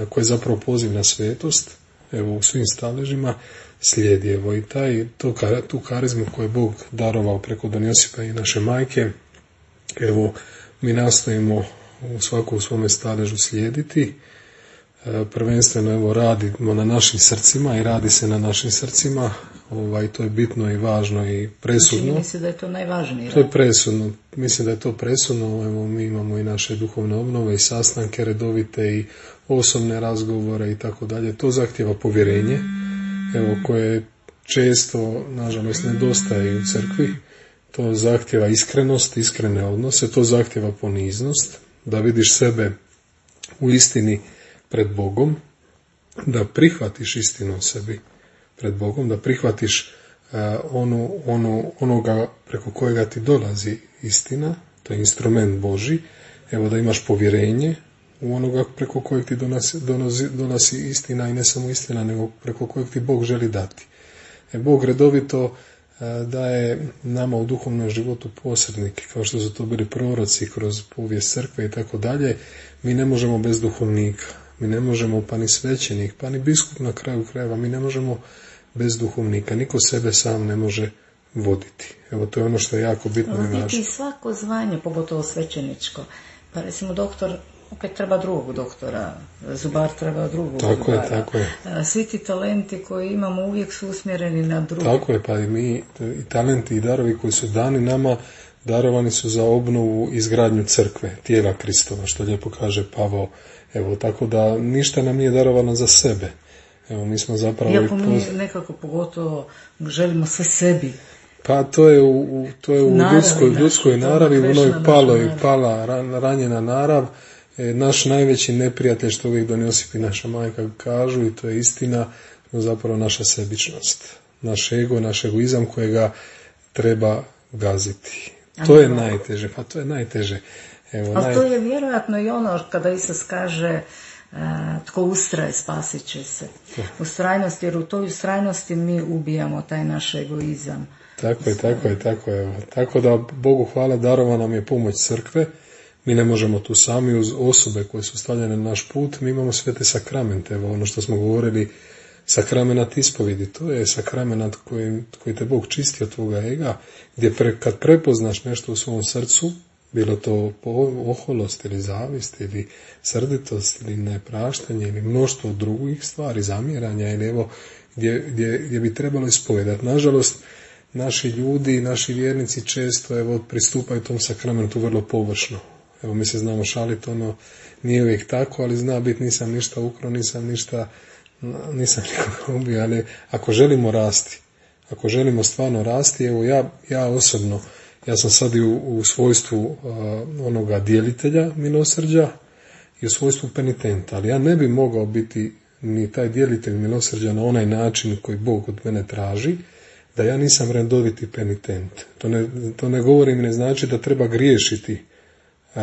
koji je zapravo poziv na svetost, evo, u svim staležima, slijedi, evo, i taj, to, tu karizmu koju je Bog darovao preko Don Josipa i naše majke, evo, mi nastojimo u svaku u svome staležu slijediti, prvenstveno, evo, radimo na našim srcima i radi se na našim srcima, ovaj, to je bitno i važno i presudno. Čini mi se da je to najvažnije. To je presudno, mislim da je to presudno, evo, mi imamo i naše duhovne obnove i sastanke redovite i osobne razgovore i tako dalje, to zahtjeva povjerenje, evo, koje često, nažalost, nedostaje u crkvi, to zahtjeva iskrenost, iskrene odnose, to zahtjeva poniznost, da vidiš sebe u istini pred Bogom, da prihvatiš istinu o sebi pred Bogom, da prihvatiš uh, ono, ono, onoga preko kojega ti dolazi istina, to je instrument Božji, evo, da imaš povjerenje u onoga preko kojeg ti donosi, donosi, donosi istina, i ne samo istina, nego preko kojeg ti Bog želi dati. E, Bog redovito uh, daje nama u duhovnom životu posrednike, kao što su to bili proroci kroz povijest crkve i tako dalje. Mi ne možemo bez duhovnika. Mi ne možemo, pa ni svećenik, pa ni biskup na kraju krajeva, mi ne možemo bez duhovnika. Niko sebe sam ne može voditi. Evo, to je ono što je jako bitno i važno. I svako zvanje, pogotovo svećeničko. Pa recimo doktor opet treba drugog doktora, zubar treba drugog tako zubara. Je, tako je. Svi ti talenti koje imamo uvijek su usmjereni na drugo. Tako je, pa i mi, i talenti i darovi koji su dani nama, darovani su za obnovu i izgradnju crkve, tijela Kristova, što lijepo kaže Pavao. Evo, tako da ništa nam nije darovano za sebe. Evo, mi smo zapravo... Iako mi nekako pogotovo želimo sve sebi. Pa to je u, to je u naravi, ljudskoj, naš, ljudskoj naravi, u onoj paloj, narav. pala, ranjena narav. E, naš najveći neprijatelj, što uvijek donosipi naša majka kažu, i to je istina, no zapravo naša sebičnost. Naš ego, naš egoizam kojega treba gaziti. To je najteže, pa to je najteže. Evo, ali naj... to je vjerojatno i ono kada Isus kaže uh, tko ustraje spasit će se. Ustrajnost, jer u toj ustrajnosti mi ubijamo taj naš egoizam. Tako je, tako je, tako je. Tako da Bogu hvala, darova nam je pomoć crkve. Mi ne možemo tu sami, uz osobe koje su stavljene na naš put. Mi imamo sve te sakramente. Evo ono što smo govorili, sakramenat ispovjedi. To je sakramenat koji, koji te Bog čisti od tvoga ega, gdje pre, kad prepoznaš nešto u svom srcu, bilo to oholost ili zavist ili srditost ili nepraštanje ili mnoštvo drugih stvari, zamjeranja ili evo gdje, gdje, gdje bi trebalo ispovedati. Nažalost, naši ljudi, naši vjernici često evo pristupaju tom sakramentu vrlo površno. Evo mi se znamo šaliti, ono nije uvijek tako, ali zna biti nisam ništa ukrao, nisam ništa, nisam nikoga ubio, ali ako želimo rasti, ako želimo stvarno rasti, evo ja, ja osobno, ja sam sad i u, u svojstvu uh, onoga djelitelja milosrđa i u svojstvu penitenta, ali ja ne bi mogao biti ni taj djelitelj milosrđa na onaj način koji Bog od mene traži, da ja nisam redoviti penitent. To ne, to ne govorim, ne znači da treba griješiti, uh,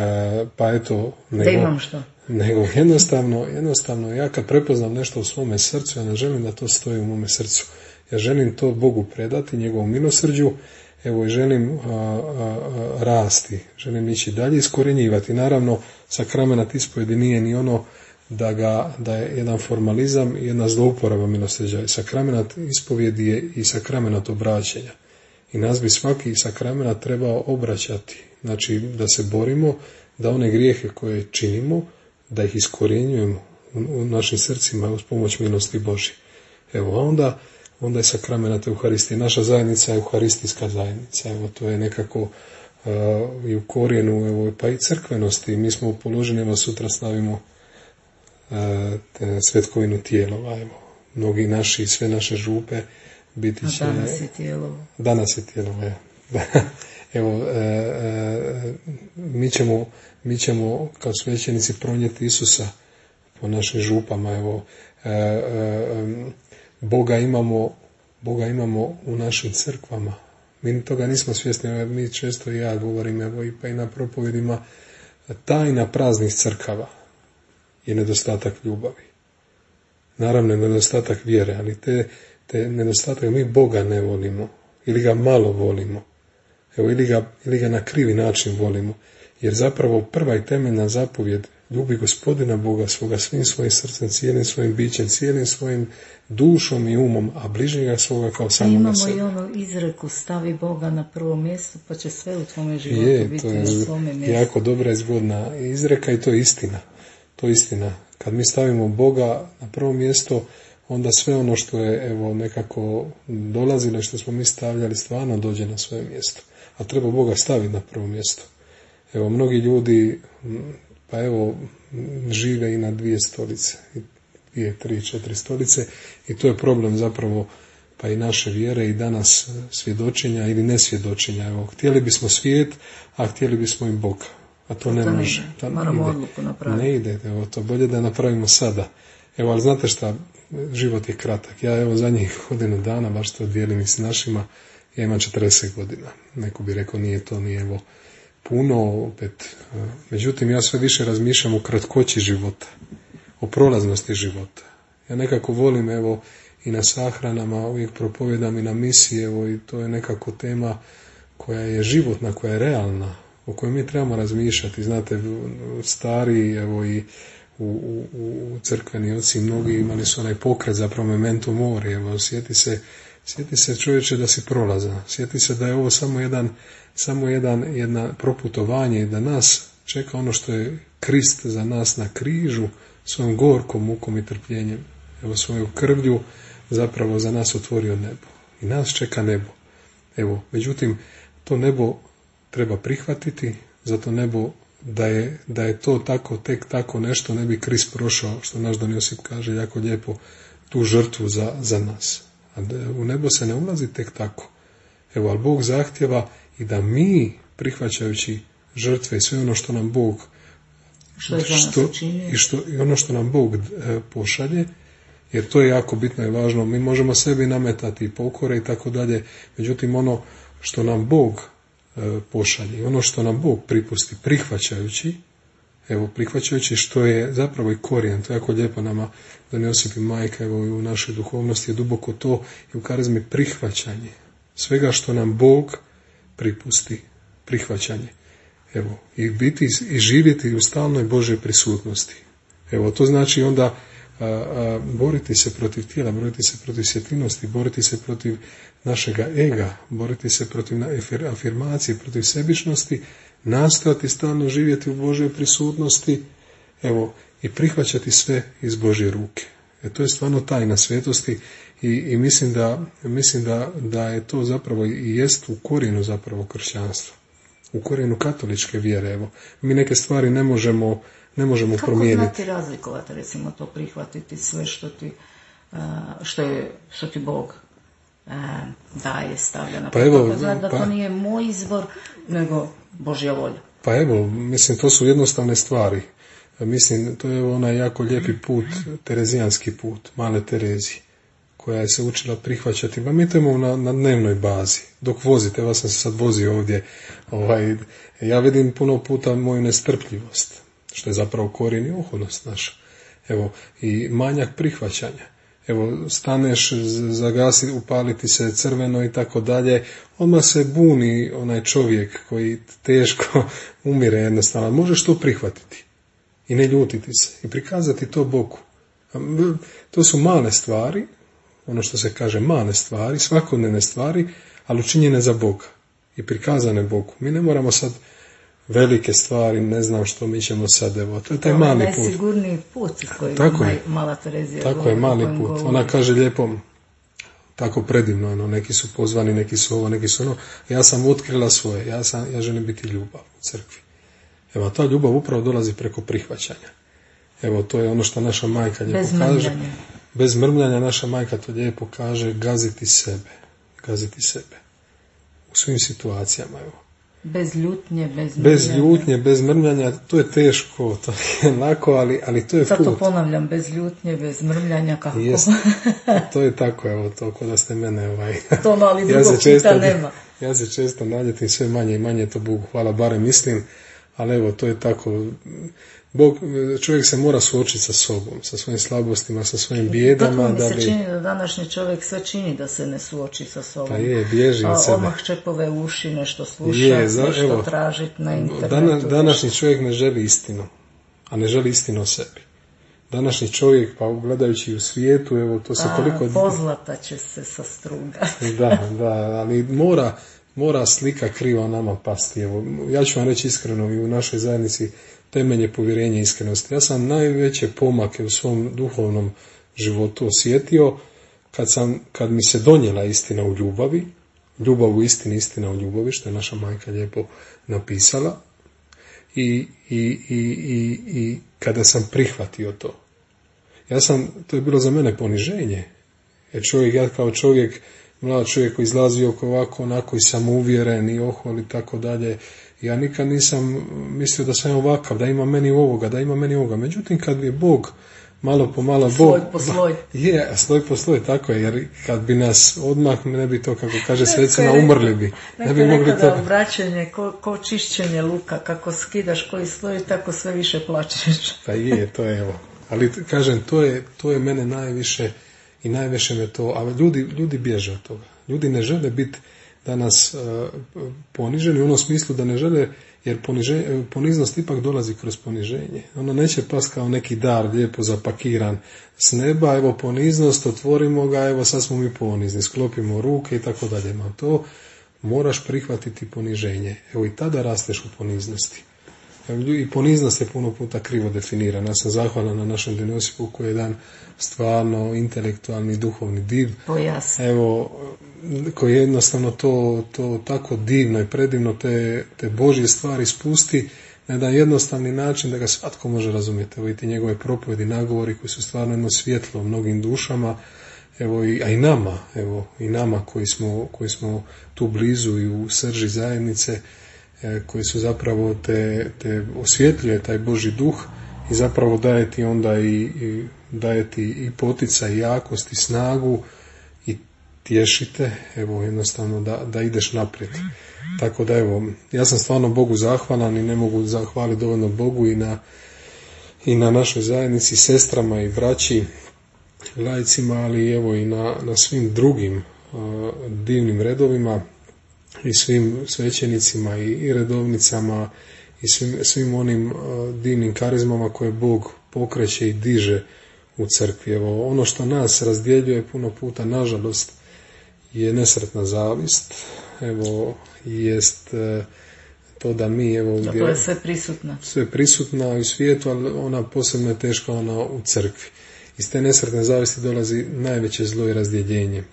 pa eto, nego, da imam što. Nego jednostavno, jednostavno ja kad prepoznam nešto u svome srcu, ja ne želim da to stoji u mome srcu. Ja želim to Bogu predati, njegovom milosrđu, evo i želim a, a, a, rasti, želim ići dalje, iskorjenjivati. Naravno, sakramenat ispovjedi nije ni ono da, ga, da je jedan formalizam i jedna zlouporaba milosrđa. Sakramenat ispovjedi je i sakramenat obraćanja. I nas bi svaki sakramenat trebao obraćati. Znači, da se borimo, da one grijehe koje činimo, da ih iskorjenjujemo u, u našim srcima uz pomoć milosti Božje. Evo, a onda... onda je sakramenat Euharistije. Naša zajednica je euharistijska zajednica. Evo, to je nekako uh, i u korijenu, evo, pa i crkvenosti. Mi smo položeni, evo, sutra slavimo uh, te svetkovinu tijelova. Evo, mnogi naši, sve naše župe biti će... A danas je tijelovo. Danas je tijelovo, evo. Evo, uh, uh, mi, ćemo, mi ćemo kao svećenici pronijeti Isusa po našim župama, evo, uh, uh, Boga imamo, Boga imamo u našim crkvama. Mi toga nismo svjesni, mi često i ja govorim, evo i pa i na propovedima, tajna praznih crkava je nedostatak ljubavi. Naravno, nedostatak vjere, ali te, te nedostatak, mi Boga ne volimo, ili ga malo volimo, evo, ili ga, ili ga na krivi način volimo, jer zapravo prva i temeljna zapovjed, ljubi Gospodina Boga svoga svim svojim srcem, cijelim svojim bićem, cijelim svojim dušom i umom, a bližnjega svoga kao samoga sebe. Imamo i onu izreku, stavi Boga na prvo mjesto, pa će sve u tvome životu je, biti to je na svome mjestu. jako dobra i zgodna izreka i to je istina. To je istina. Kad mi stavimo Boga na prvo mjesto, onda sve ono što je evo nekako dolazilo i što smo mi stavljali stvarno dođe na svoje mjesto. A treba Boga staviti na prvo mjesto. Evo, mnogi ljudi, pa evo, žive i na dvije stolice, dvije, tri, četiri stolice i to je problem zapravo pa i naše vjere i danas svjedočenja ili nesvjedočenja. Evo, htjeli bismo svijet, a htjeli bismo i Boga. A to, to ne može. To moramo odluku napraviti. Ne ide, evo, to bolje da napravimo sada. Evo, ali znate šta, život je kratak. Ja evo zadnjih godinu dana, baš to dijelim i s našima, ja imam četrdeset godina. Neko bi rekao nije to, nije evo puno, opet. Međutim, ja sve više razmišljam o kratkoći života, o prolaznosti života. Ja nekako volim, evo, i na sahranama, uvijek propovedam i na misiji, evo, i to je nekako tema koja je životna, koja je realna, o kojoj mi trebamo razmišljati. Znate, stari, evo, i u, u, u crkveni oci mnogi imali su onaj pokret zapravo memento mori, evo, sjeti se, sjeti se čovječe da si prolazan, sjeti se da je ovo samo jedan, samo jedan, jedna proputovanje i da nas čeka ono što je Krist za nas na križu svojom gorkom mukom i trpljenjem, evo svoju krvlju zapravo za nas otvorio nebo. I nas čeka nebo. Evo, međutim, to nebo treba prihvatiti, zato nebo da je, da je to tako, tek tako nešto, ne bi Krist prošao, što naš Don Josip kaže jako lijepo, tu žrtvu za, za nas. A u nebo se ne ulazi tek tako. Evo, ali Bog zahtjeva i da mi, prihvaćajući žrtve i sve ono što nam Bog što, je što i, što, i ono što nam Bog e, pošalje, jer to je jako bitno i važno. Mi možemo sebi nametati pokore i tako dalje, međutim ono što nam Bog e, pošalje, ono što nam Bog pripusti, prihvaćajući, evo, prihvaćajući što je zapravo i korijen, to je jako lijepo nama Don Josip i majka, evo, i u našoj duhovnosti je duboko to i u karizmi prihvaćanje svega što nam Bog pripusti, prihvaćanje. Evo, i biti i živjeti u stalnoj Božoj prisutnosti. Evo, to znači onda a, a, boriti se protiv tijela, boriti se protiv svjetljivosti, boriti se protiv našega ega, boriti se protiv afirmacije, protiv sebičnosti, nastojati stalno živjeti u Božoj prisutnosti, evo, i prihvaćati sve iz Božje ruke. E, to je stvarno tajna svetosti i, i mislim, da, mislim da, da je to zapravo i jest u korijenu zapravo kršćanstva. U korijenu katoličke vjere, evo. Mi neke stvari ne možemo, ne možemo Kako promijeniti. Kako znati razlikovati, recimo, to prihvatiti sve što ti, što je, što ti Bog daje, stavlja na pa evo, Kako znati da pa, to nije moj izbor, nego Božja volja? Pa evo, mislim, to su jednostavne stvari. Mislim, to je onaj jako lijepi put, terezijanski put, male Terezije, koja je se učila prihvaćati. Pa mi to imamo na, na dnevnoj bazi. Dok vozite, evo sam se sad vozio ovdje, ovaj, ja vidim puno puta moju nestrpljivost, što je zapravo korijen i oholnost naša. Evo, i manjak prihvaćanja. Evo, staneš, zagasi, upaliti se crveno i tako dalje, odmah se buni onaj čovjek koji teško umire jednostavno. Možeš to prihvatiti i ne ljutiti se i prikazati to Bogu. To su male stvari, ono što se kaže male stvari, svakodnevne stvari, ali učinjene za Boga i prikazane Bogu. Mi ne moramo sad velike stvari, ne znam što mi ćemo sad, evo, to je taj to mali put. Najsigurniji put koji tako je mala Terezija. Tako je, mali put. Govori. Ona kaže lijepo, tako predivno, ono, neki su pozvani, neki su ovo, neki su ono. Ja sam otkrila svoje, ja, sam, ja želim biti ljubav u crkvi. Evo, ta ljubav upravo dolazi preko prihvaćanja. Evo, to je ono što naša majka lijepo Bez kaže. Mrmljanja. Bez mrmljanja naša majka to lijepo kaže, gaziti sebe. Gaziti sebe. U svim situacijama, evo. Bez ljutnje, bez mrmljanja. Bez ljutnje, bez mrmljanja, to je teško, to je lako, ali, ali to je Sad put. to ponavljam, bez ljutnje, bez mrmljanja, kako? Jest. To je tako, evo, to kod da ste mene, ovaj. To no, ali ja drugog česta nema. Ja se često naljetim sve manje i manje, to Bogu hvala, barem mislim, ali evo, to je tako. Bog, čovjek se mora suočiti sa sobom, sa svojim slabostima, sa svojim bijedama. Tako mi se da bi... čini da današnji čovjek sve čini da se ne suoči sa sobom. Pa je, bježi od sebe. Odmah čepove uši, nešto sluša, je, za, nešto evo, tražiti na internetu. Dana, današnji čovjek ne želi istinu, a ne želi istinu o sebi. Današnji čovjek, pa gledajući u svijetu, evo, to se a, toliko... pozlata će se sa struga. Da, da, ali mora... Mora slika kriva nama pasti. Evo, ja ću vam reći iskreno, i u našoj zajednici temelje povjerenja i iskrenosti. Ja sam najveće pomake u svom duhovnom životu osjetio kad, sam, kad mi se donijela istina u ljubavi, ljubav u istini, istina u ljubavi, što je naša majka lijepo napisala, i, i, i, i, i kada sam prihvatio to. Ja sam, to je bilo za mene poniženje, jer čovjek, ja kao čovjek, mlad čovjek koji izlazi oko ovako, onako i samouvjeren i ohol i tako dalje. Ja nikad nisam mislio da sam ovakav, da ima meni ovoga, da ima meni ovoga. Međutim, kad je Bog malo po malo... Sloj po sloj. Je, sloj po sloj, tako je, jer kad bi nas odmah, ne bi to, kako kaže svecina, umrli bi. Ne bi mogli to... obraćanje, ko, ko čišćenje luka, kako skidaš koji sloj, tako sve više plačeš. Pa je, to je evo. Ali kažem, to je, to je mene najviše... I najviše me to, a ljudi, ljudi bježe od toga. Ljudi ne žele biti danas uh, poniženi u onom smislu da ne žele, jer poniže, poniznost ipak dolazi kroz poniženje. Ono neće pas kao neki dar lijepo zapakiran s neba, evo poniznost, otvorimo ga, evo sad smo mi ponizni, sklopimo ruke i tako dalje. Ma to moraš prihvatiti poniženje. Evo i tada rasteš u poniznosti. I poniznost je puno puta krivo definirana. Ja sam zahvalan na našem Dinosipu koji je jedan stvarno intelektualni, duhovni div. Pojasno. Evo, koji jednostavno to, to tako divno i predivno te, te Božje stvari spusti na jedan jednostavni način da ga svatko može razumjeti. Evo i ti njegove propovedi, nagovori koji su stvarno jedno svjetlo u mnogim dušama, evo i, a i nama, evo i nama koji smo, koji smo tu blizu i u srži zajednice, e, koji su zapravo te, te osvjetljuje taj Božji duh i zapravo daje ti onda i, i daje ti i poticaj, i jakost, i snagu, i tješite, evo jednostavno da, da ideš naprijed. Tako da evo, ja sam stvarno Bogu zahvalan i ne mogu zahvaliti dovoljno Bogu i na, i na našoj zajednici, sestrama i braći, laicima, ali evo i na, na svim drugim uh, divnim redovima i svim svećenicima i, i redovnicama i svim, svim onim uh, divnim karizmama koje Bog pokreće i diže u crkvi. Evo, ono što nas razdjeljuje puno puta, nažalost, je nesretna zavist. Evo, jest uh, to da mi, evo, da, to je sve prisutna. Sve prisutna u svijetu, ali ona posebno je teška ona u crkvi. Iz te nesretne zavisti dolazi najveće zlo i razdjeljenje.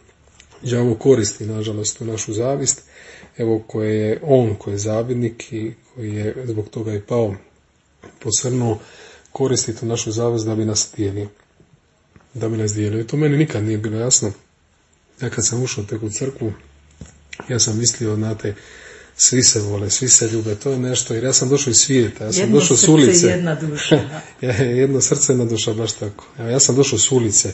Đavo koristi, nažalost, u našu zavist, evo koje je on, koji je zavidnik i koji je zbog toga i pao, posrnuo, koristi tu našu zavist da bi nas dijelio. Da bi nas dijelio. I to meni nikad nije bilo jasno. Ja kad sam ušao tek u crkvu, ja sam mislio, znate, svi se vole, svi se ljube, to je nešto, jer ja sam došao iz svijeta, ja sam jedno došao s ulice. Jedno srce, jedna duša. Jedno srce, jedna duša, baš tako. Ja sam došao s ulice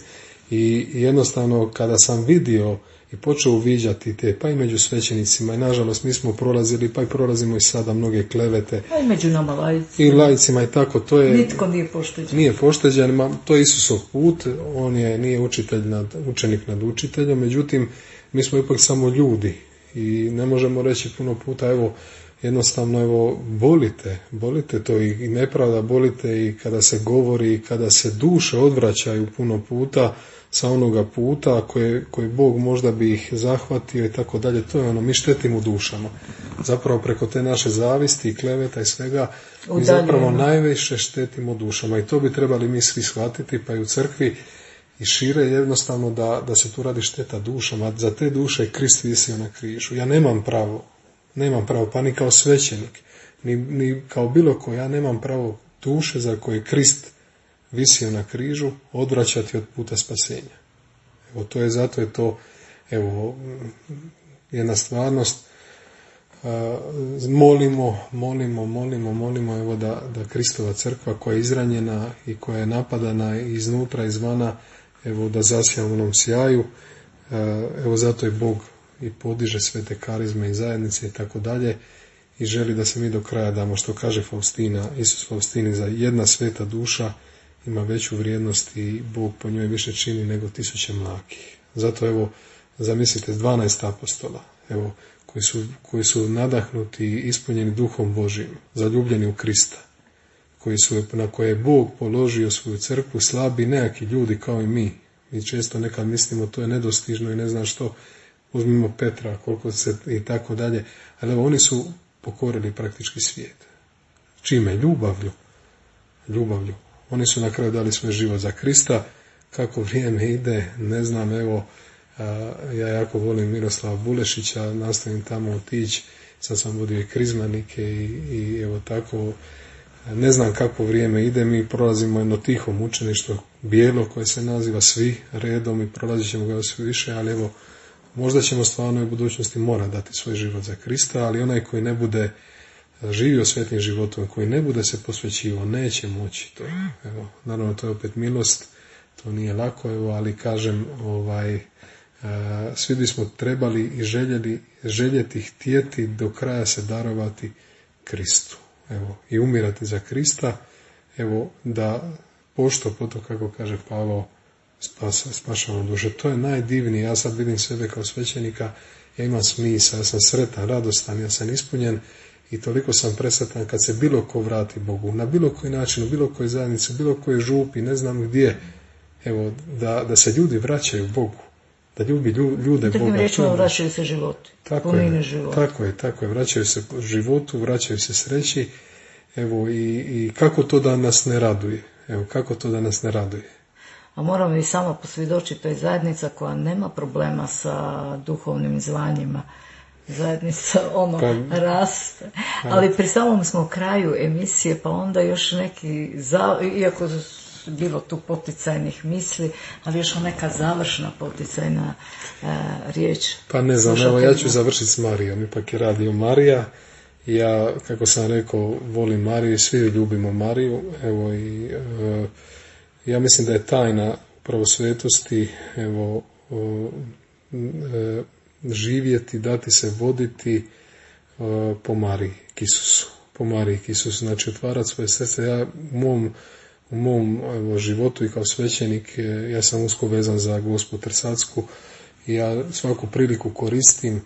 i jednostavno kada sam vidio i počeo uviđati te, pa i među svećenicima, i nažalost mi smo prolazili, pa i prolazimo i sada mnoge klevete. Pa i među nama laicima. I laicima i tako, to je... Nitko nije pošteđen. Nije pošteđen, ma, to je Isusov put, on je, nije učitelj nad, učenik nad učiteljom, međutim, mi smo ipak samo ljudi. I ne možemo reći puno puta, evo, jednostavno, evo, bolite, bolite to i nepravda, bolite i kada se govori, i kada se duše odvraćaju puno puta sa onoga puta koje, koji Bog možda bi ih zahvatio i tako dalje, to je ono, mi štetimo dušama. Zapravo preko te naše zavisti i kleveta i svega, mi zapravo najviše štetimo dušama i to bi trebali mi svi shvatiti, pa i u crkvi, i šire jednostavno da, da se tu radi šteta dušama. Za te duše je Krist visio na križu. Ja nemam pravo, nemam pravo, pa ni kao svećenik, ni, ni kao bilo ko, ja nemam pravo duše za koje Krist visio na križu odvraćati od puta spasenja. Evo, to je, zato je to, evo, jedna stvarnost. Uh, molimo, molimo, molimo, molimo, evo da, da Kristova crkva koja je izranjena i koja je napadana iznutra, izvana, evo da zasija u onom sjaju, evo zato je Bog i podiže sve te karizme i zajednice i tako dalje i želi da se mi do kraja damo, što kaže Faustina, Isus Faustini, za jedna sveta duša ima veću vrijednost i Bog po njoj više čini nego tisuće mlakih. Zato evo, zamislite, dvanaest apostola, evo, koji su, koji su nadahnuti i ispunjeni duhom Božim, zaljubljeni u Krista, koji su, na koje je Bog položio svoju crkvu, slabi neki ljudi kao i mi. Mi često nekad mislimo to je nedostižno i ne znam što, uzmimo Petra, koliko se i tako dalje, ali evo, oni su pokorili praktički svijet. Čime? Ljubavlju. Ljubavlju. Oni su na kraju dali svoj život za Krista. Kako vrijeme ide, ne znam, evo, ja jako volim Miroslava Bulešića, nastavim tamo otići, sad sam vodio i krizmanike i, i evo tako, ne znam kako vrijeme ide, mi prolazimo jedno tiho mučeništvo, bijelo koje se naziva svi redom i prolazit ćemo ga sve više, ali evo, možda ćemo stvarno u budućnosti mora dati svoj život za Krista, ali onaj koji ne bude živio svetim životom, koji ne bude se posvećivao, neće moći to. Evo, naravno, to je opet milost, to nije lako, evo, ali kažem, ovaj, svi bismo trebali i željeli, željeti, htjeti do kraja se darovati Kristu. Evo, i umirati za Krista, evo, da pošto poto, kako kaže Pavao, spasa, spašava duše. To je najdivnije. Ja sad vidim sebe kao svećenika, ja imam smisla, ja sam sretan, radostan, ja sam ispunjen i toliko sam presretan kad se bilo ko vrati Bogu, na bilo koji način, u bilo kojoj zajednici, u bilo kojoj župi, ne znam gdje, evo, da, da se ljudi vraćaju Bogu, da ljubi ljude Boga. Drugim rečima, vraćaju se životu. Tako je, tako je, tako je, vraćaju se životu, vraćaju se sreći. Evo, i, i kako to da nas ne raduje? Evo, kako to da nas ne raduje? A moram i samo posvjedočiti, to je zajednica koja nema problema sa duhovnim zvanjima. Zajednica ono pa, raste. Ali pri samom smo kraju emisije, pa onda još neki, za, iako bilo tu poticajnih misli, ali još neka završna poticajna e, riječ. Pa ne znam, evo ja ću završiti s Marijom, ipak je radio Marija. Ja, kako sam rekao, volim Mariju i svi ljubimo Mariju. Evo i e, ja mislim da je tajna upravo svetosti, evo, e, živjeti, dati se voditi e, po Mariji Isusu. Po Mariji Isusu, znači otvarati svoje srce. Ja u mom, u mom evo, životu i kao svećenik, ja sam usko vezan za Gospu Trsacku i ja svaku priliku koristim.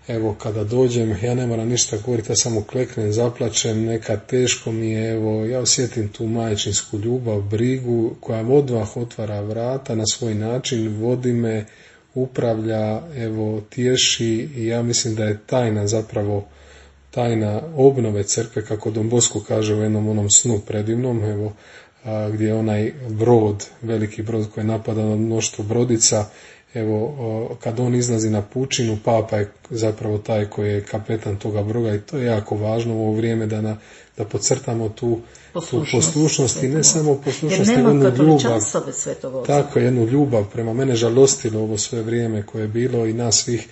Evo, kada dođem, ja ne moram ništa govoriti, ja samo kleknem, zaplačem, nekad teško mi je, evo, ja osjetim tu majčinsku ljubav, brigu, koja odmah otvara vrata na svoj način, vodi me, upravlja, evo, tješi i ja mislim da je tajna zapravo, tajna obnove crkve, kako Don Bosco kaže u jednom onom snu predivnom, evo, a, gdje je onaj brod, veliki brod koji je napadan od mnoštvo brodica. Evo, kad on izlazi na pučinu, Papa je zapravo taj koji je kapetan toga broda i to je jako važno u ovo vrijeme da, na, da podcrtamo tu poslušnost, tu poslušnost i ne samo poslušnost, nego jednu ljubav. Tako, jednu ljubav prema mene žalostilo ovo sve vrijeme koje je bilo i nas svih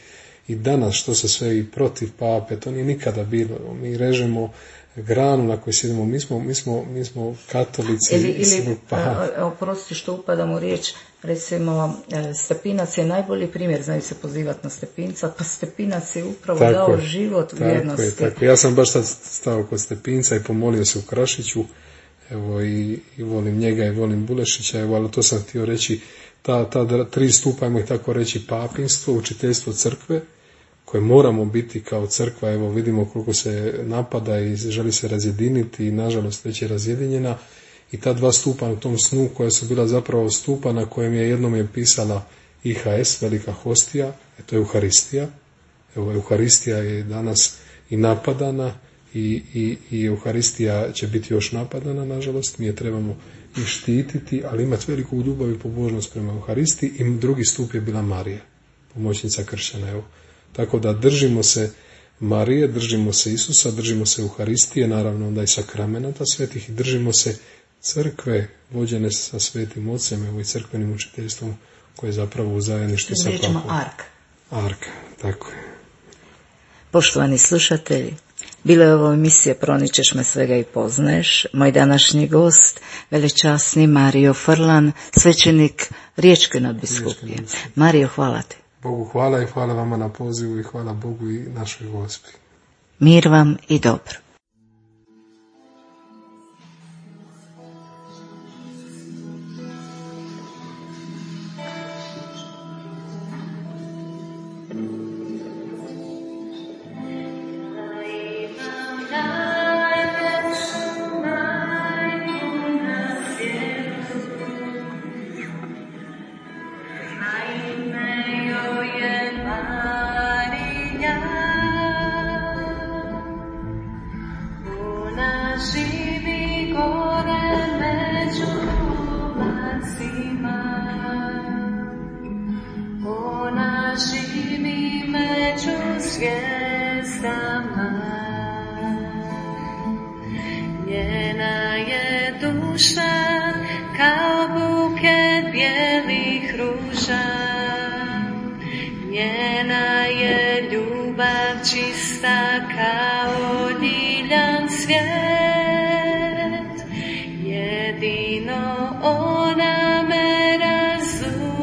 i danas što se sve i protiv Pape, to nije nikada bilo. Mi režemo granu na kojoj sjedimo, mi smo, mi smo, mi smo katolici. Ili, ili pa... oprosti što upadam u riječ, recimo Stepinac je najbolji primjer, znaju se pozivati na Stepinca, pa Stepinac je upravo tako dao život u vjernosti. Je, tako. Ja sam baš sad stao kod Stepinca i pomolio se u Krašiću, evo i, i volim njega i volim Bulešića, evo, ali to sam htio reći, ta, ta tri stupa, ajmo ih tako reći, papinstvo, učiteljstvo crkve, koje moramo biti kao crkva, evo vidimo koliko se napada i želi se razjediniti i nažalost već je razjedinjena i ta dva stupa u tom snu koja su bila zapravo stupa na kojem je jednom je pisala I H S, velika hostija, to je Euharistija. Evo, Euharistija je danas i napadana i, i, i Euharistija će biti još napadana, nažalost, mi je trebamo i štititi, ali imati veliku ljubav i pobožnost prema Euharistiji i drugi stup je bila Marija, pomoćnica kršćana, evo. Tako da držimo se Marije, držimo se Isusa, držimo se Euharistije, naravno onda i sakramenata svetih i držimo se crkve vođene sa svetim ocem, evo i crkvenim učiteljstvom koje je zapravo u zajedništvu sa Papom. Ark. Ark, tako je. Poštovani slušatelji, bila je ovo emisija Proničeš me svega i poznaješ. Moj današnji gost, velečasni Mario Frlan, svećenik Riječke nadbiskupije. Mario, hvala ti. Bogu hvala i hvala vama na pozivu i hvala Bogu i našoj Gospi. Mir vam i dobro. Njena je duša kao buket bijelih ruža, njena je ljubav čista kao ljiljan cvijet, jedino ona me razumije,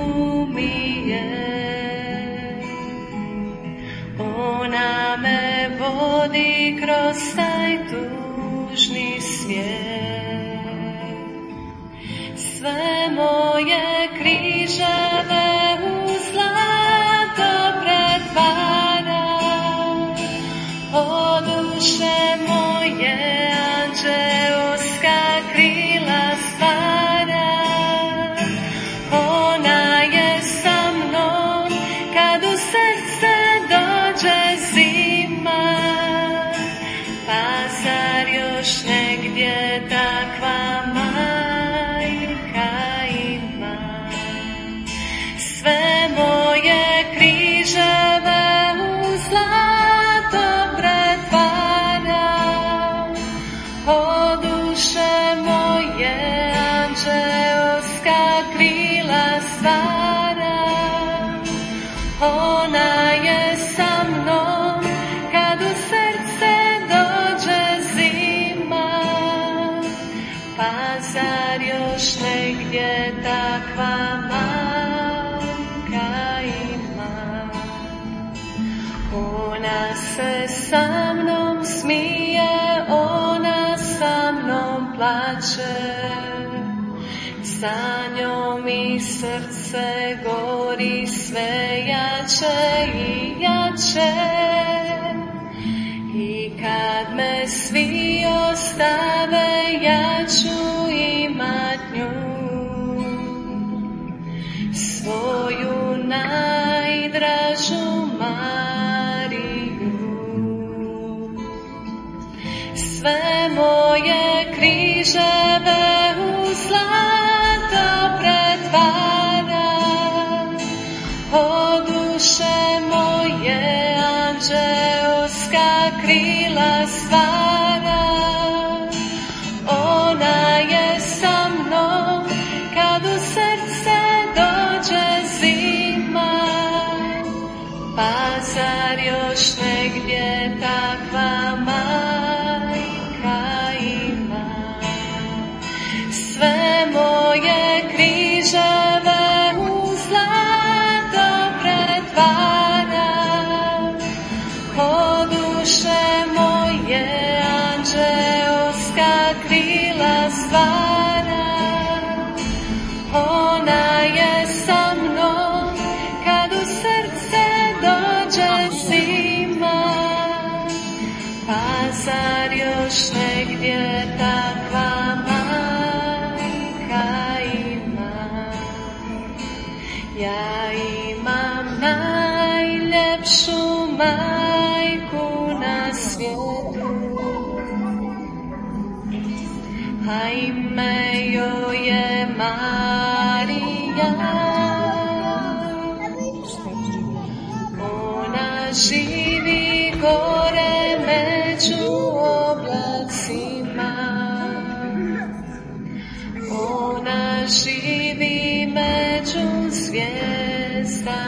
ona me vodi kroz taj tužni svijet. Sve moje križeve u zlato pretvara, o duše moje anđeoska krila stvara. Ona je sa mnom kad u srce dođe zima, pa zar još ne ona je sa mnom, kad u srce dođe zima. Pa zar još negdje takva majka ima? Ona se sa mnom smije, ona sa mnom plače, sa njom i srce gori sve jače i jače. I kad me svi ostave, ja ću imat nju, svoju najdražu Mariju. Sve moje križeve u zlato pretvara, o duše moje anđeoska krila stvara. Ona je sa mnom, kad u srce dođe zima. Pa zar još negdje takva majka ima? Sve moje križeve u zlato pretvara, o duše moje anđeoska krila stvara. Ona je sa mnom, kad u srce dođe zima. Pa zar još negdje takva majka ima? Ja imam najljepšu majku na svijetu, a ime joj je Marija. Ona živi gore među oblacima, ona živi među zvijezdama.